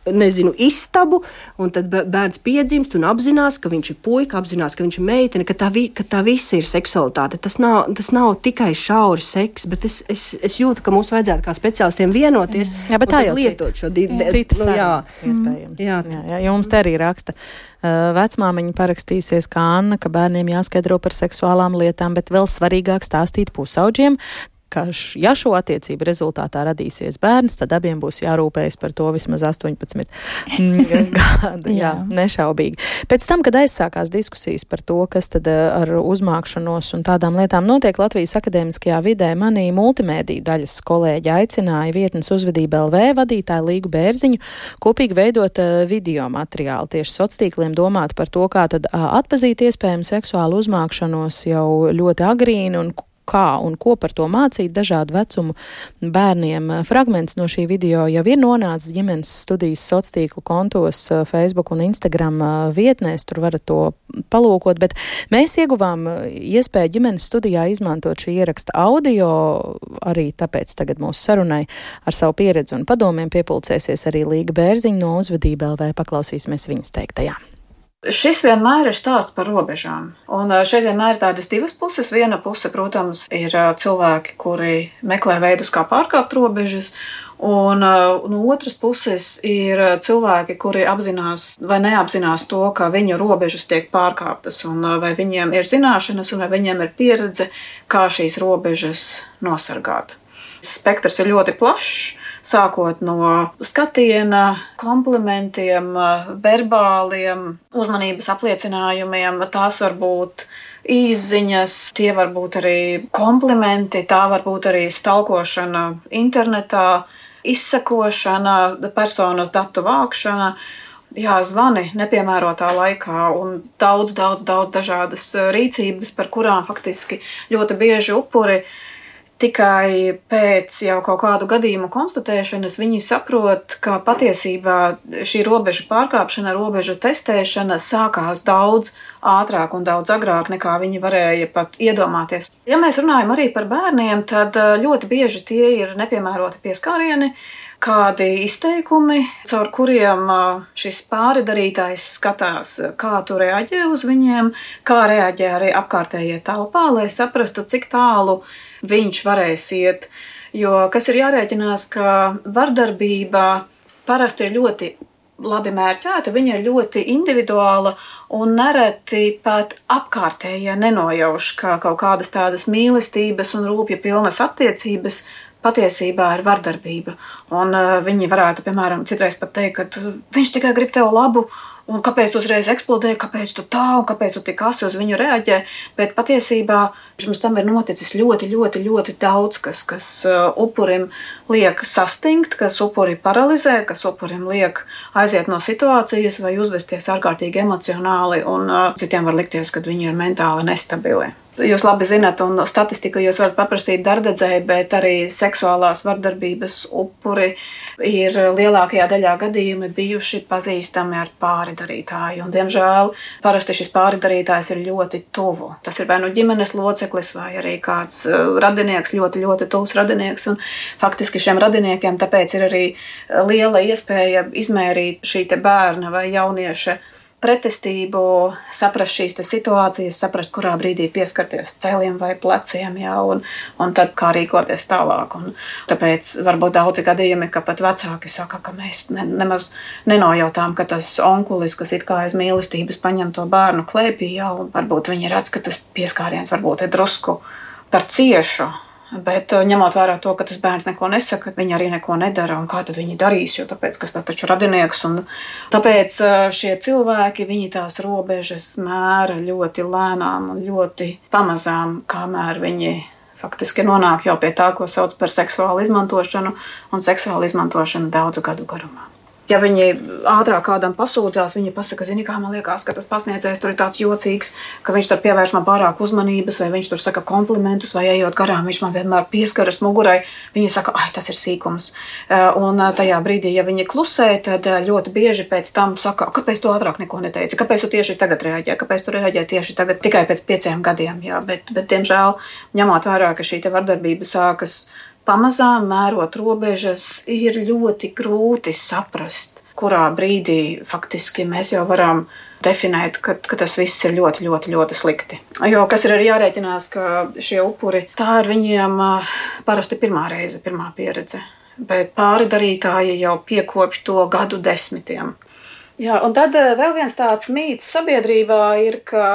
istabu, un tad bērns piedzimst un apzinās, ka viņš ir puika, apzinās, ka viņš ir meitene, ka tā visa ir seksualitāte. Tas nav tikai šauri seks, bet es jūtu, ka mums vajadzētu kā speciālistiem vienoties un lietot šo citas iespējams. Jā, jo mums te arī raksta. Vecmāmiņa parakstīsies kā Anna, ka bērniem jāskaidro par seksuālām lietām, bet vēl svarīgāk stāstīt pusauģiem, ka ja šo attiecību rezultātā radīsies bērns, tad abiem būs jārūpējas par to vismaz 18 gadu. Jā, nešaubīgi. Pēc tam, kad aizsākās diskusijas par to, kas tad ar uzmākšanos un tādām lietām notiek Latvijas akadēmiskajā vidē, manī multimēdiju daļas kolēģi aicināja vietnes Uzvedība LV vadītāju Līgu Bērziņu kopīgi veidot video materiālu tieši sociāliem, domāt par to, kā tad atpazīt iespējamu seksuālu uzmākšanos jau ļoti agrīni un kā un ko par to mācīt dažādu vecumu bērniem. Fragments no šī video jau ir nonācis ģimenes studijas sociālu kontos Facebook un Instagram vietnēs, tur varat to palūkot, bet mēs ieguvām iespēju ģimenes studijā izmantot šī ieraksta audio, arī tāpēc tagad mūsu sarunai ar savu pieredzi un padomiem piepulcēsies arī Līga Bērziņa no Uzvedība LV, paklausīsimies viņas teiktajā. Šis vienmēr ir stāsts par robežām, un šeit vienmēr ir tādas divas puses. Viena puse, protams, ir cilvēki, kuri meklē veidus, kā pārkāpt robežas, Un no otras puses ir cilvēki, kuri apzinās vai neapzinās to, ka viņu robežas tiek pārkāptas, un vai viņiem ir zināšanas, un vai viņiem ir pieredze, kā šīs robežas nosargāt. Spektrs ir ļoti plašs, sākot no skatiena, komplimentiem, verbāliem, uzmanības apliecinājumiem. Tās var būt izziņas, tie var būt arī komplimenti, tā var būt arī stalkošana internetā, izsekošana, personas datu vākšana, zvani nepiemērotā laikā un daudz dažādas rīcības, par kurām faktiski ļoti bieži upuri tikai pēc jau kaut kādu gadījumu konstatēšanas viņi saprot, ka patiesībā šī robežu pārkāpšana, robežu testēšana sākās daudz ātrāk un daudz agrāk, nekā viņi varēja pat iedomāties. Ja mēs runājam arī par bērniem, tad ļoti bieži tie ir nepiemēroti pieskārieni, kādi izteikumi, caur kuriem šis pāridarītājs skatās, kā tu reaģē uz viņiem, kā reaģē arī apkārtējie telpā, lai saprastu, cik tālu viņš varēs iet. Jo kas ir jārēķinās, ka vardarbība parasti ir ļoti labi mērķēta, viņa ir ļoti individuāla un nereti pat apkārtējie nenojauš, kā kaut kādas tādas mīlestības un rūpja pilnas attiecības patiesībā ir vardarbība. Un viņi varētu, piemēram, citreiz pat teikt, ka viņš tikai grib tev labu, un kāpēc tu uzreiz eksplodēji, kāpēc tu tā, un kāpēc tu tik asi uz viņu reaģē. Bet patiesībā pirms tam ir noticis ļoti daudz, kas upurim liek sastingt, kas upuri paralizē, kas upurim liek aiziet no situācijas vai uzvesties ārkārtīgi emocionāli, un citiem var likties, ka viņi ir mentāli nestabili. Jūs labi zināt, un statistiku jūs varat paprasīt darbdedzēji, bet arī seksuālās vardarbības upuri ir lielākajā daļā gadījumi bijuši pazīstami ar pāridarītāju. Un, diemžēl, parasti šis pāridarītājs ir ļoti tuvu. Tas ir vai nu ģimenes loceklis, vai arī kāds radinieks, ļoti tuvs radinieks. Un faktiski šiem radiniekiem tāpēc ir arī liela iespēja izmērīt šī te bērna vai jaunieša pretestību, saprast šīs situācijas, saprast, kurā brīdī pieskarties celiem vai pleciem, un tad kā rīkoties tālāk. Un tāpēc varbūt daudzi gadījumi, ka pat vecāki saka, ka mēs nemaz nenojautām, ka tas onkulis, kas it kā aiz mīlestības paņem to bērnu klēpī, un varbūt viņi redz, ka tas pieskāriens varbūt ir drusku par ciešu. Bet ņemot vērā to, ka tas bērns neko nesaka, viņi arī neko nedara, un kā tad viņi darīs, jo tāpēc, kas tā taču radinieks, un tāpēc šie cilvēki, viņi tās robežas mēra ļoti lēnām un ļoti pamazām, kamēr viņi faktiski nonāk jau pie tā, ko sauc par seksuālu izmantošanu, un seksuālu izmantošanu daudzu gadu garumā. Ja viņi ātrāk kādam pasūdzās, viņi pasaka, zini, kā man liekas, ka tas pasniedzējs tur ir tāds jocīgs, ka viņš tur pievērš man pārāk uzmanības, vai viņš tur saka komplimentus, vai ejot garām, viņš man vienmēr pieskaras mugurai, viņi saka, ai, tas ir sīkums. Un tajā brīdī, ja viņi klusē, tad ļoti bieži pēc tam saka, kāpēc tu ātrāk neko neteici, kāpēc tu tieši tagad reaģē, kāpēc tu reaģē tieši tagad, tikai pēc 5 gadiem, bet diemžēl, ņemot vērā, ka šī te vardarbība sākas pamazām mērot robežas, ir ļoti grūti saprast, kurā brīdī faktiski mēs jau varam definēt, ka tas viss ir ļoti slikti. Jo kas ir arī jārēķinās, ka šie upuri, tā ir viņiem parasti pirmā reize, pirmā pieredze, bet pāridarītāji jau piekopj to gadu desmitiem. Jā, un tad vēl viens tāds mīts sabiedrībā ir, ka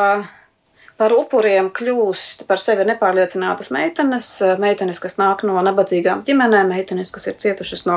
par upuriem kļūst par sevi nepārliecinātas meitenes, kas nāk no nabadzīgām ģimenēm, meitenes, kas ir cietušas no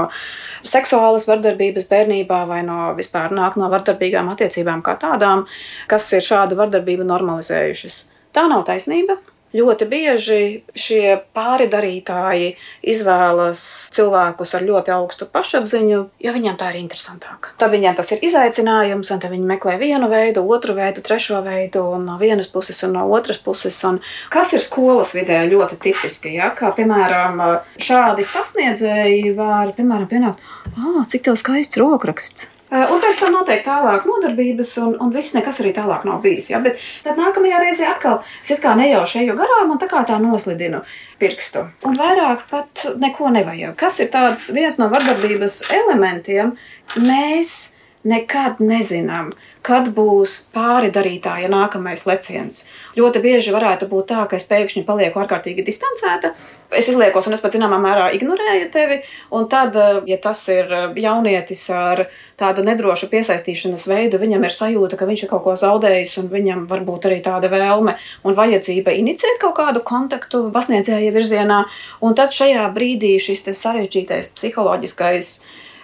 seksuālas vardarbības bērnībā vai vispār nāk no vardarbīgām attiecībām kā tādām, kas ir šādu vardarbību normalizējušas. Tā nav taisnība. Ļoti bieži šie pāridarītāji izvēlas cilvēkus ar ļoti augstu pašapziņu, jo viņiem tā ir interesantāk. Tad viņiem tas ir izaicinājums, un tad viņi meklē vienu veidu, otru veidu, trešo veidu, un no vienas puses un no otras puses. Un kas ir skolas vidē ļoti tipiski, ja? Kā, piemēram, šādi pasniedzēji var, piemēram, pienākt, cik tev skaists rokraksts. Un pēc tam notiek tālāk nodarbības, un viss nekas arī tālāk nav bijis. Ja? Bet tad nākamajā reizē atkal es it kā nejauši eju garām un tā noslidinu pirkstu. Un vairāk pat neko nevajag. Kas ir viens no vardarbības elementiem? Mēs nekad nezinām, kad būs pāri darītāja nākamais leciens. Ļoti bieži varētu būt tā, ka es pēkšņi palieku ārkārtīgi distancēta. Es izliekos, un es pat zināmā mērā ignorēju tevi. Un tad, ja tas ir jaunietis ar tādu nedrošu piesaistīšanas veidu, viņam ir sajūta, ka viņš ir kaut ko zaudējis, un viņam varbūt arī tāda vēlme un vajadzība iniciēt kaut kādu kontaktu pasniedzēja virzienā. Un tad šajā brīdī šis sarežģītais psiholoģiskais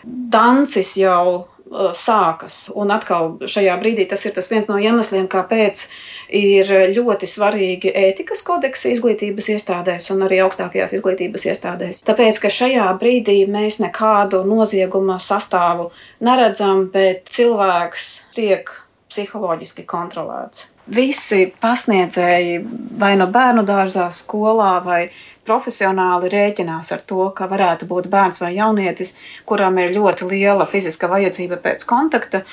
dancis jau sākas. Un atkal šajā brīdī tas ir viens no iemesliem, kāpēc ir ļoti svarīgi ētikas kodeksi izglītības iestādēs un arī augstākajās izglītības iestādēs. Tāpēc, ka šajā brīdī mēs nekādu nozieguma sastāvu neredzam, bet cilvēks tiek psiholoģiski kontrolēts. Visi pasniedzēji vai no bērnu dārzā, skolā vai profesionāli rēķinās ar to, ka varētu būt bērns vai jaunietis, kuram ir ļoti liela fiziska vajadzība pēc kontakta,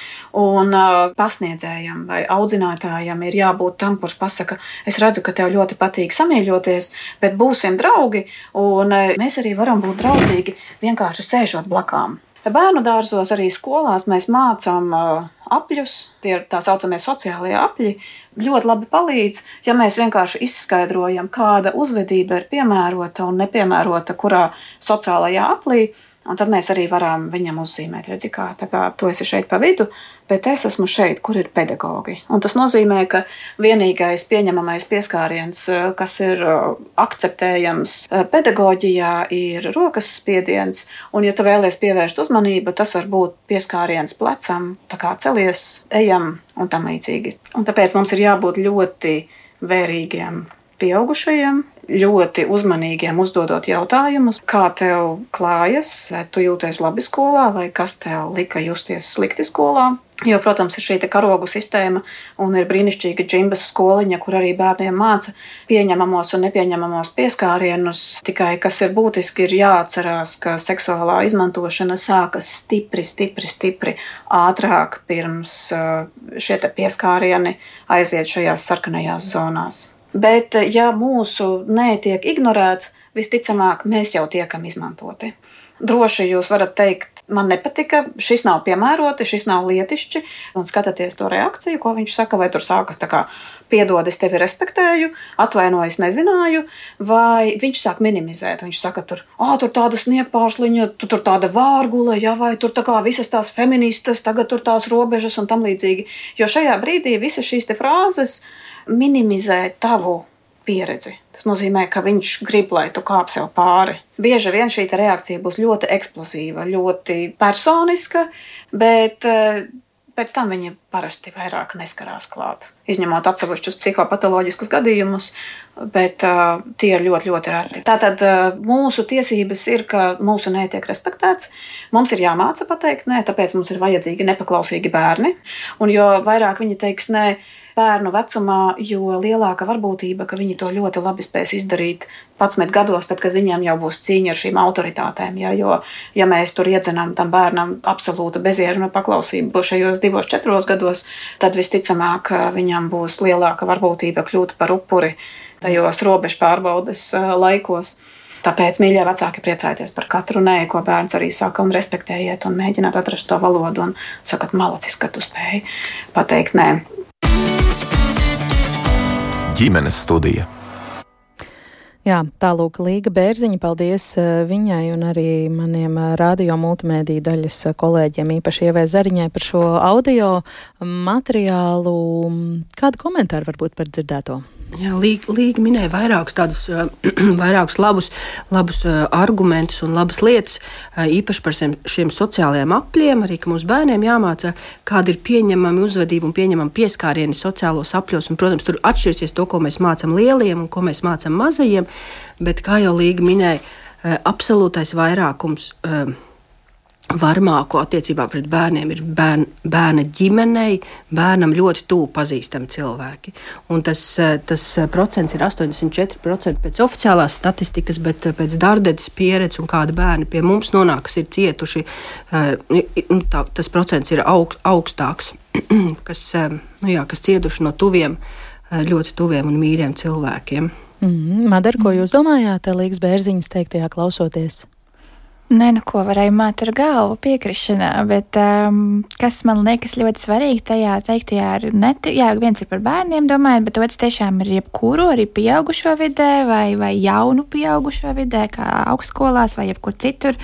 un pasniedzējam vai audzinātājam ir jābūt tam, kurš pasaka, es redzu, ka tev ļoti patīk samīļoties, bet būsim draugi, un mēs arī varam būt draudzīgi vienkārši sēžot blakām. Bērnu dārzos, arī skolās mēs mācām apļus, tie ir tā saucamie sociālie apļi, ļoti labi palīdz, ja mēs vienkārši izskaidrojam, kāda uzvedība ir piemērota un nepiemērota kurā sociālajā aplī, un tad mēs arī varam viņam uzzīmēt, redzi, kā tu esi šeit pa vidu, bet es esmu šeit, kur ir pedagogi. Un tas nozīmē, ka vienīgais pieņemamais pieskāriens, kas ir akceptējams pedagoģijā, ir rokas spiediens, un ja tu vēlies pievērst uzmanību, tas var būt pieskāriens plecam, tā kā celies, ejam un tam līdzīgi. Un tāpēc mums ir jābūt ļoti vērīgiem pieaugušajiem, ļoti uzmanīgiem uzdodot jautājumus, kā tev klājas, vai tu jūties labi skolā, vai kas tev lika justies slikti skolā. Jo, protams, ir šī karogu sistēma un ir brīnišķīga džimbas skoliņa, kur arī bērniem māca pieņemamos un nepieņemamos pieskārienus. Tikai, kas ir būtiski, ir jāatcerās, ka seksuālā izmantošana sākas stipri ātrāk pirms šie pieskārieni aiziet šajās sarkanajās zonās. Bet, ja mūsu netiek ignorēts, visticamāk, mēs jau tiekam izmantoti. Droši jūs varat teikt, man nepatika, šis nav piemēroti, šis nav lietišķi, un skatāties to reakciju, ko viņš saka, vai tur sākas tā kā piedod, es tevi respektēju, atvainojas, nezināju, vai viņš sāk minimizēt, viņš saka tur tāda sniegpārsliņa, tur tāda vārgula, ja, vai tur tā kā visas tās feministas, tagad tur tās robežas un tam līdzīgi. Jo šajā brīdī visas šīs frāzes minimizē tavu pieredzi. Tas nozīmē, ka viņš grib, lai tu kāp sev pāri. Bieži vien šī reakcija būs ļoti eksplozīva, ļoti personiska, bet pēc tam viņi parasti vairāk neskarās klāt. Izņemot atsevišķus psihopatoloģiskus gadījumus, bet tie ir ļoti, ļoti reti. Tātad mūsu tiesības ir, ka mūsu nē tiek respektēts. Mums ir jāmāca pateikt nē, tāpēc mums ir vajadzīgi nepaklausīgi bērni. Un jo vairāk viņi teiks nē bērnu vecumā, jo lielāka varbūtība, ka viņi to ļoti labi spēs izdarīt 11 gados, tad, kad viņiem jau būs cīņa ar šīm autoritātēm. Ja? Jo, ja mēs tur iedzenām tam bērnam absolūta bezieruna paklausību šajos 2-4 gados, tad visticamāk viņam būs lielāka varbūtība kļūt par upuri tajos robežu pārbaudes laikos. Tāpēc, mīļie vecāki, priecājieties par katru nē, ko bērns arī saka, un respektējiet un mēģināt atrast to valodu un sakat malacis, ka tu spēji pateikt nē. Ģimenes studija. Jā, tālūk Līga Bērziņa, paldies viņai un arī maniem radio multimēdiju daļas kolēģiem, īpaši Ievai Zariņai par šo audio materiālu. Kādu komentāru varbūt par dzirdēto? Jā, Līga minēja vairākus labus argumentus un labas lietas, īpaši par šiem sociālajiem apļiem, arī, ka mums bērniem jāmāca, kāda ir pieņemama uzvedība un pieņemama pieskārieni sociālos apļos. Un, protams, tur atšķirsies to, ko mēs mācam lieliem un ko mēs mācam mazajiem, bet, kā jau Līga minēja, absolūtais vairākums varmāko attiecībā pret bērniem ir bērna ģimenei, bērnam ļoti tuvu pazīstami cilvēki. Un tas procents ir 84% pēc oficiālās statistikas, bet pēc Dardetes pieredzes un kāda bērni pie mums nonāk, kas ir cietuši, tas procents ir augstāks, kas cietuši no tuviem, ļoti tuviem un mīļiem cilvēkiem. Madara, ko jūs domājāt Līgas Bērziņas teiktajā klausoties? Nē, nu ko, varēja māt ar galvu piekrišanā, bet kas man liekas ļoti svarīgi tajā teiktajā ir, viens ir par bērniem domājot, bet otrs tiešām ir jebkuru, arī pieaugušo vidē vai jaunu pieaugušo vidē, kā augstskolās vai jebkur citur.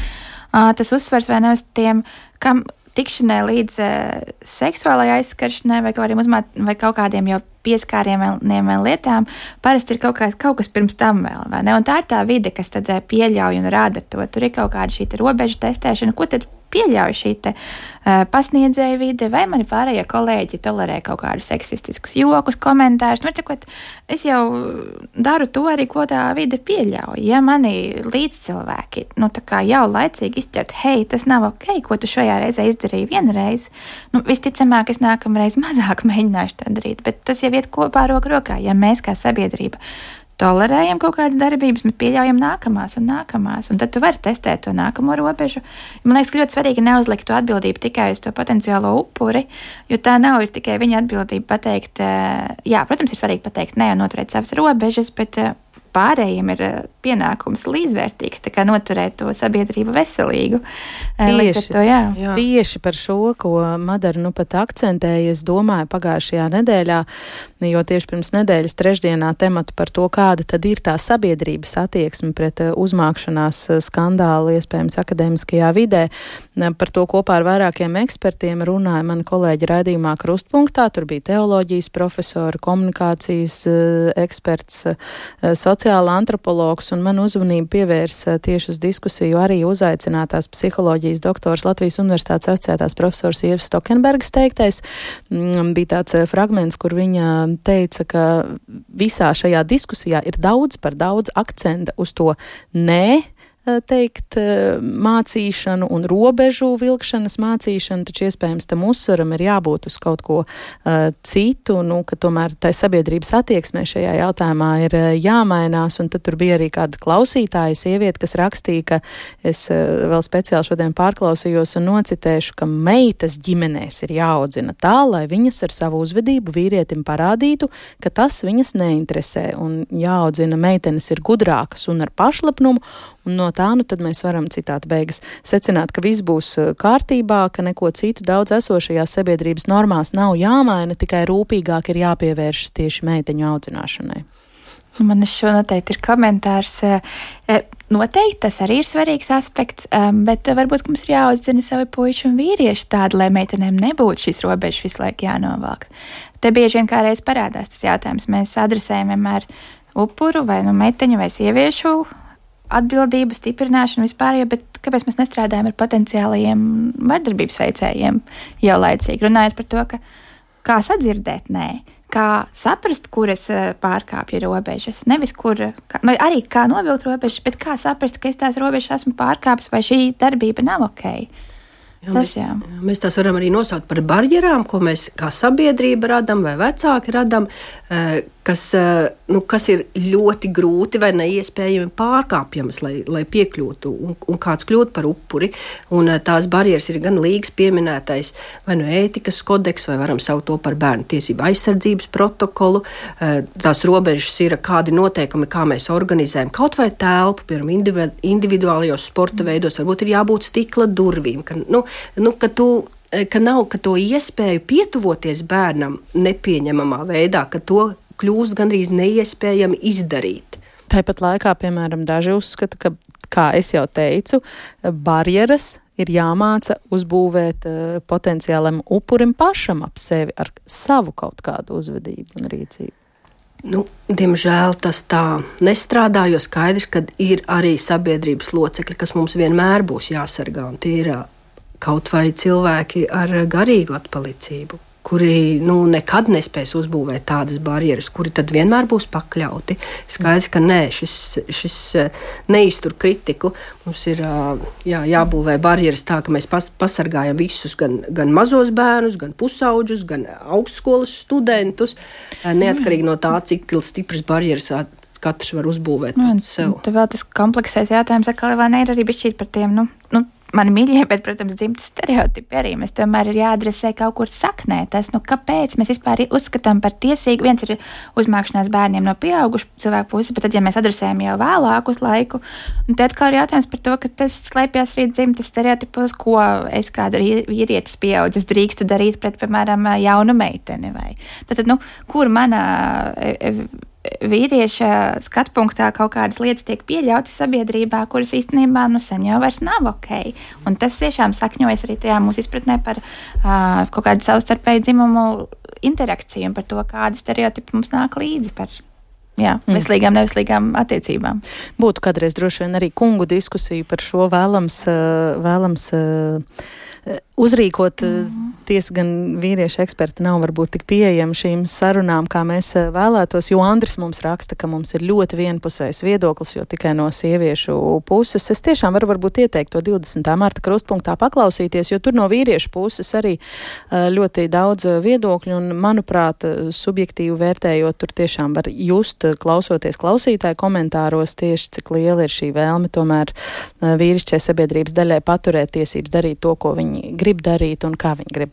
Tas uzsvars vai ne uz tiem, kam tikšanai līdz seksuālai aizskaršanai vai kaut kādiem jau pieskārieniem vai lietām, parasti ir kaut kas pirms tam vēl, vai ne? Un tā ir tā vide, kas tad pieļauj un rada to. Tur ir kaut kāda šī robežu testēšana, ko tad pieļauj šī pasniedzēja vide, vai mani pārējie kolēģi tolerē kaut kādus seksistiskus jokus, komentārus. Es jau daru to arī, ko tā vide pieļauj. Ja mani līdzcilvēki jau laicīgi izķert, hei, tas nav ok, ko tu šajā reizē izdarīji vienreiz, visticamāk, es nākamreiz mazāk mēģināšu tā darīt, bet tas jau iet kopā roku rokā, ja mēs kā sabiedrība tolerējam kaut kādas darbības, bet pieļaujam nākamās, un tad tu vari testēt to nākamo robežu. Man liekas, ka ļoti svarīgi neuzlikt to atbildību tikai uz to potenciālo upuri, jo tā nav ir tikai viņa atbildība pateikt, protams, ir svarīgi pateikt nē un noturēt savas robežas, bet pārējiem ir pienākums līdzvērtīgs, tā kā noturēt to sabiedrību veselīgu. Tieši par šo, ko Madara pat akcentēja, es domāju pagājušajā nedēļā, jo tieši pirms nedēļas trešdienā tematu par to, kāda tad ir tā sabiedrības attieksme pret uzmākšanās skandālu, iespējams, akadēmiskajā vidē. Par to kopā ar vairākiem ekspertiem runāja mani kolēģi raidījumā Krustpunktā. Tur bija teoloģijas profesori, komunikācijas eksperts, sociāla antropologs, un man uzmanību pievērsa tieši uz diskusiju arī uzaicinātās psiholoģijas doktors Latvijas Universitātes asociētās profesors Ievas Stokenbergas teiktais. Bija tāds fragments, kur viņa teica, ka visā šajā diskusijā ir daudz akcenta uz to nē, teikt, mācīšanu un robežu vilkšanas mācīšanu, taču iespējams tam uzsvaram ir jābūt uz kaut ko citu, ka tomēr tai sabiedrības attieksmē šajā jautājumā ir jāmainās, un tad tur bija arī kāda klausītāja sieviete, kas rakstīja, ka es vēl speciāli šodien pārklausījos un nocitēšu, ka meitas ģimenēs ir jāaudzina tā, lai viņas ar savu uzvedību vīrietim parādītu, ka tas viņas neinteresē, un jāaudzina meitenes ir gudrākas un ar pašlepnumu, un no tā, tad mēs varam citāti beigas secināt, ka viss būs kārtībā, ka neko citu daudz esošajās sabiedrības normās nav jāmaina, tikai rūpīgāk ir jāpievēršas tieši meiteņu audzināšanai. Man šo noteikti ir komentārs. Noteikti tas arī ir svarīgs aspekts, bet varbūt mums ir jāaudzina savi puiši un vīrieši tādi, lai meitenēm nebūtu šīs robežas visu laiku jānovelk. Te bieži vien kādreiz parādās tas jautājums. Mēs adresējam vienmēr upuru vai meiteņu vai sieviešu atbildību, stiprināšanu vispār, bet kāpēc mēs nestrādājam ar potenciālajiem vardarbības veicējiem jau laicīgi? Runājot par to, ka kā sadzirdēt nē, kā saprast, kuras pārkāpja robežas, nevis arī kā novilkt robežas, bet kā saprast, ka es tās robežas esmu pārkāpis vai šī darbība nav ok. Mēs tās varam arī nosaukt par barjerām, ko mēs kā sabiedrība radam vai vecāki radam, kas ir ļoti grūti vai neiespējami pārkāpjamas, lai piekļūtu un kāds kļūt par upuri. Un tās barjeras ir gan līgas pieminētais vai ētikas kodeks, vai varam saukt to par bērnu tiesību aizsardzības protokolu. Tās robežas ir kādi noteikumi, kā mēs organizējam kaut vai telpu, piemēram, individuālajos sporta veidos, varbūt ir jābūt stikla durvīm, ka nav to iespēju pietuvoties bērnam nepieņemamā veidā, ka to kļūst gandrīz neiespējami izdarīt. Tāpat laikā, piemēram, daži uzskata, ka, kā es jau teicu, barjeras ir jāmāca uzbūvēt potenciālam upurim pašam ap sevi ar savu kaut kādu uzvedību un rīcību. Diemžēl tas tā nestrādā, jo skaidrs, ka ir arī sabiedrības locekļi, kas mums vienmēr būs jāsargā, un tie ir kaut vai cilvēki ar garīgu atpalicību, kuri nekad nespēs uzbūvēt tādas barjeras, kuri tad vienmēr būs pakļauti. Skaidrs, ka nē, šis neiztur kritiku. Mums ir jābūvē barjeras tā, ka mēs pasargājam visus, gan mazos bērnus, gan pusauģus, gan augstskolas studentus, neatkarīgi no tā, cik stipras barjeras katrs var uzbūvēt pats sev. Tad vēl tas kompleksais jautājums, vai ne ir arī bišķīt par tiem, mani mīļie, bet, protams, dzimtas stereotipi arī. Mēs tomēr ir jāadresē kaut kur saknē. Tas, kāpēc mēs vispār uzskatām par tiesīgu. Viens ir uzmākšanās bērniem no pieaugušu cilvēku puses, bet tad, ja mēs adresējam jau vēlāk uz laiku, tad atkal ir jautājums par to, ka tas slēpjas arī dzimtas stereotipos, ko es kāda vīrietis pieaudzis drīkstu darīt pret, piemēram, jaunu meiteni. Vai. Tad, kur mana vīrieša skatpunktā kaut kādas lietas tiek pieļautas sabiedrībā, kuras īstenībā sen jau vairs nav ok. Un tas tiešām sakņojas arī tajā mūsu izpratnē par kaut kādu savstarpēju dzimumu interakciju un par to, kādi stereotipi mums nāk līdzi par veselīgām, neveselīgām attiecībām. Būtu kādreiz droši vien arī kungu diskusiju par šo vēlams uzrīkot. Tiesa gan vīriešu eksperti nav varbūt tik pieejami šīm sarunām, kā mēs vēlētos, jo Andris mums raksta, ka mums ir ļoti vienpusējs viedoklis, jo tikai no sieviešu puses. Es tiešām varu varbūt ieteikt to 20. marta krustpunktā paklausīties, jo tur no vīriešu puses arī ļoti daudz viedokļu un, manuprāt, subjektīvi vērtējot, tur tiešām var just, klausoties klausītāju komentāros, tieši cik liela ir šī vēlme tomēr vīrišķai sabiedrības daļai paturēt tiesības darīt to, ko viņi grib darīt un kā viņi grib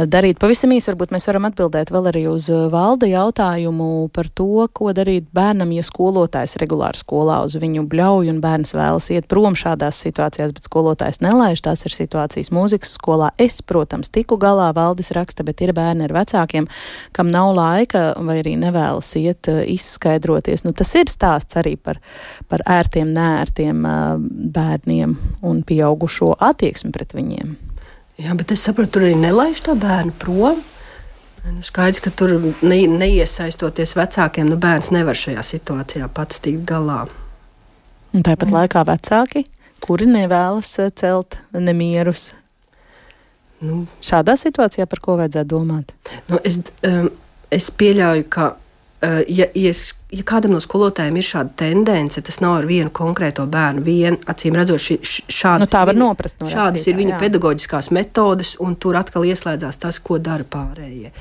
darīt. Pavisam īsi varbūt mēs varam atbildēt vēl arī uz Valda jautājumu par to, ko darīt bērnam, ja skolotājs regulāri skolā uz viņu bļauj un bērns vēlas iet prom šādās situācijās, bet skolotājs nelaiž. Tās ir situācijas mūzikas skolā. Es, protams, tiku galā, Valdis raksta, bet ir bērni ar vecākiem, kam nav laika vai arī nevēlas iet izskaidroties. Tas ir stāsts arī par ērtiem, neērtiem bērniem un pieaugušo attieksmi pret viņiem. Jā, bet es saprotu, tur arī nelaiž tā bērnu prom. Skaidrs, ka tur neiesaistoties vecākiem, bērns nevar šajā situācijā pats tikt galā. Un tāpat laikā vecāki, kuri nevēlas celt nemierus. Šādā situācijā par ko vajadzētu domāt? Es pieļauju, ka ja kādam no skolotājiem ir šāda tendence, tas nav ar vienu konkrēto bērnu, acīm redzot, šādas ir viņa pedagoģiskās metodes, un tur atkal ieslēdzās tas, ko dara pārējie.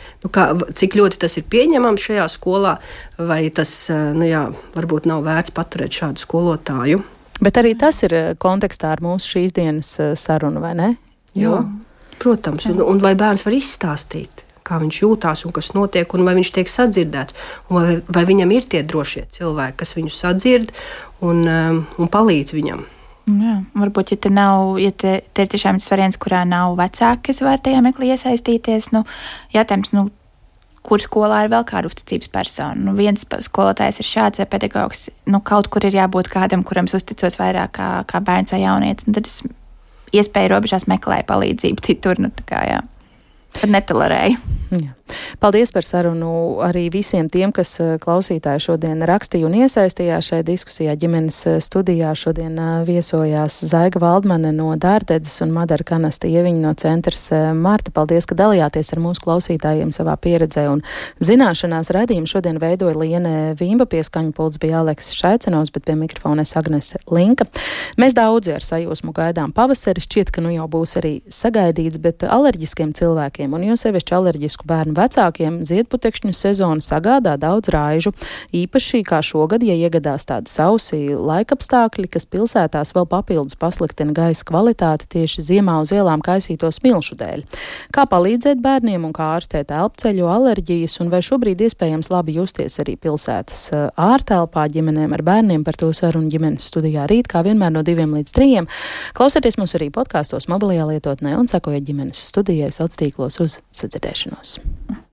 Cik ļoti tas ir pieņemams šajā skolā, vai tas varbūt nav vērts paturēt šādu skolotāju. Bet arī tas ir kontekstā ar mūsu šīs dienas sarunu, vai ne? Jā, protams, un vai bērns var izstāstīt, kā viņš jūtās un kas notiek, un vai viņš tiek sadzirdēts, un vai viņam ir tie drošie cilvēki, kas viņu sadzird un palīdz viņam. Jā, varbūt, ja te ir tiešām tas variants, kurā nav vecāki, kas var tajā meklī iesaistīties, jātājums, kur skolā ir vēl kāda uzticības persona. Viens skolotājs ir šāds pedagogs, kaut kur ir jābūt kādam, kuram uzticos vairāk kā bērns vai jaunietis, tad es iespēju robežās meklēju palīdzību citur, jā. Tad netolerēju. Jā. Paldies par sarunu arī visiem tiem, kas klausītāji šodien rakstīja un iesaistījās šajā diskusijā. Ģimenes studijā šodien viesojās Zaiga Valdmane no Dārdedzes un Madara Kanasta Ieviņa no centrs Marta. Paldies, ka dalījāties ar mūsu klausītājiem savā pieredzē un zināšanās. Raidījumu šodien veidoja Liene Vimba, pie skaņu pults bija Aleksis Šaicenovs, bet pie mikrofona Agnese Linka. Mēs daudzi ar sajūsmu gaidām pavasari, šķiet, ka jau būs arī sagaidīts, bet alerģiskiem cilvēkiem un jo sevišķi alerģisku bērnu vecākiem ziedputekšņu sezona sagādā daudz raižu. Īpaši kā šogad, ja iegadās tādi sausi laikapstākļi, kas pilsētās vēl papildus pasliktina gaisa kvalitāti tieši ziemā uz ielām kaisīto smilšu dēļ. Kā palīdzēt bērniem un kā ārstēt elpceļu alerģijas un vai šobrīd iespējams labi justies arī pilsētas ārtelpā ģimenēm ar bērniem, par to sarunu ģimenes studijā rīt, kā vienmēr no 2 līdz 3. Klausieties mūs arī podkāstos mobilajā lietotnē un sekojiet ģimenes studijai sociālos tīklos uz sadzirdēšanos.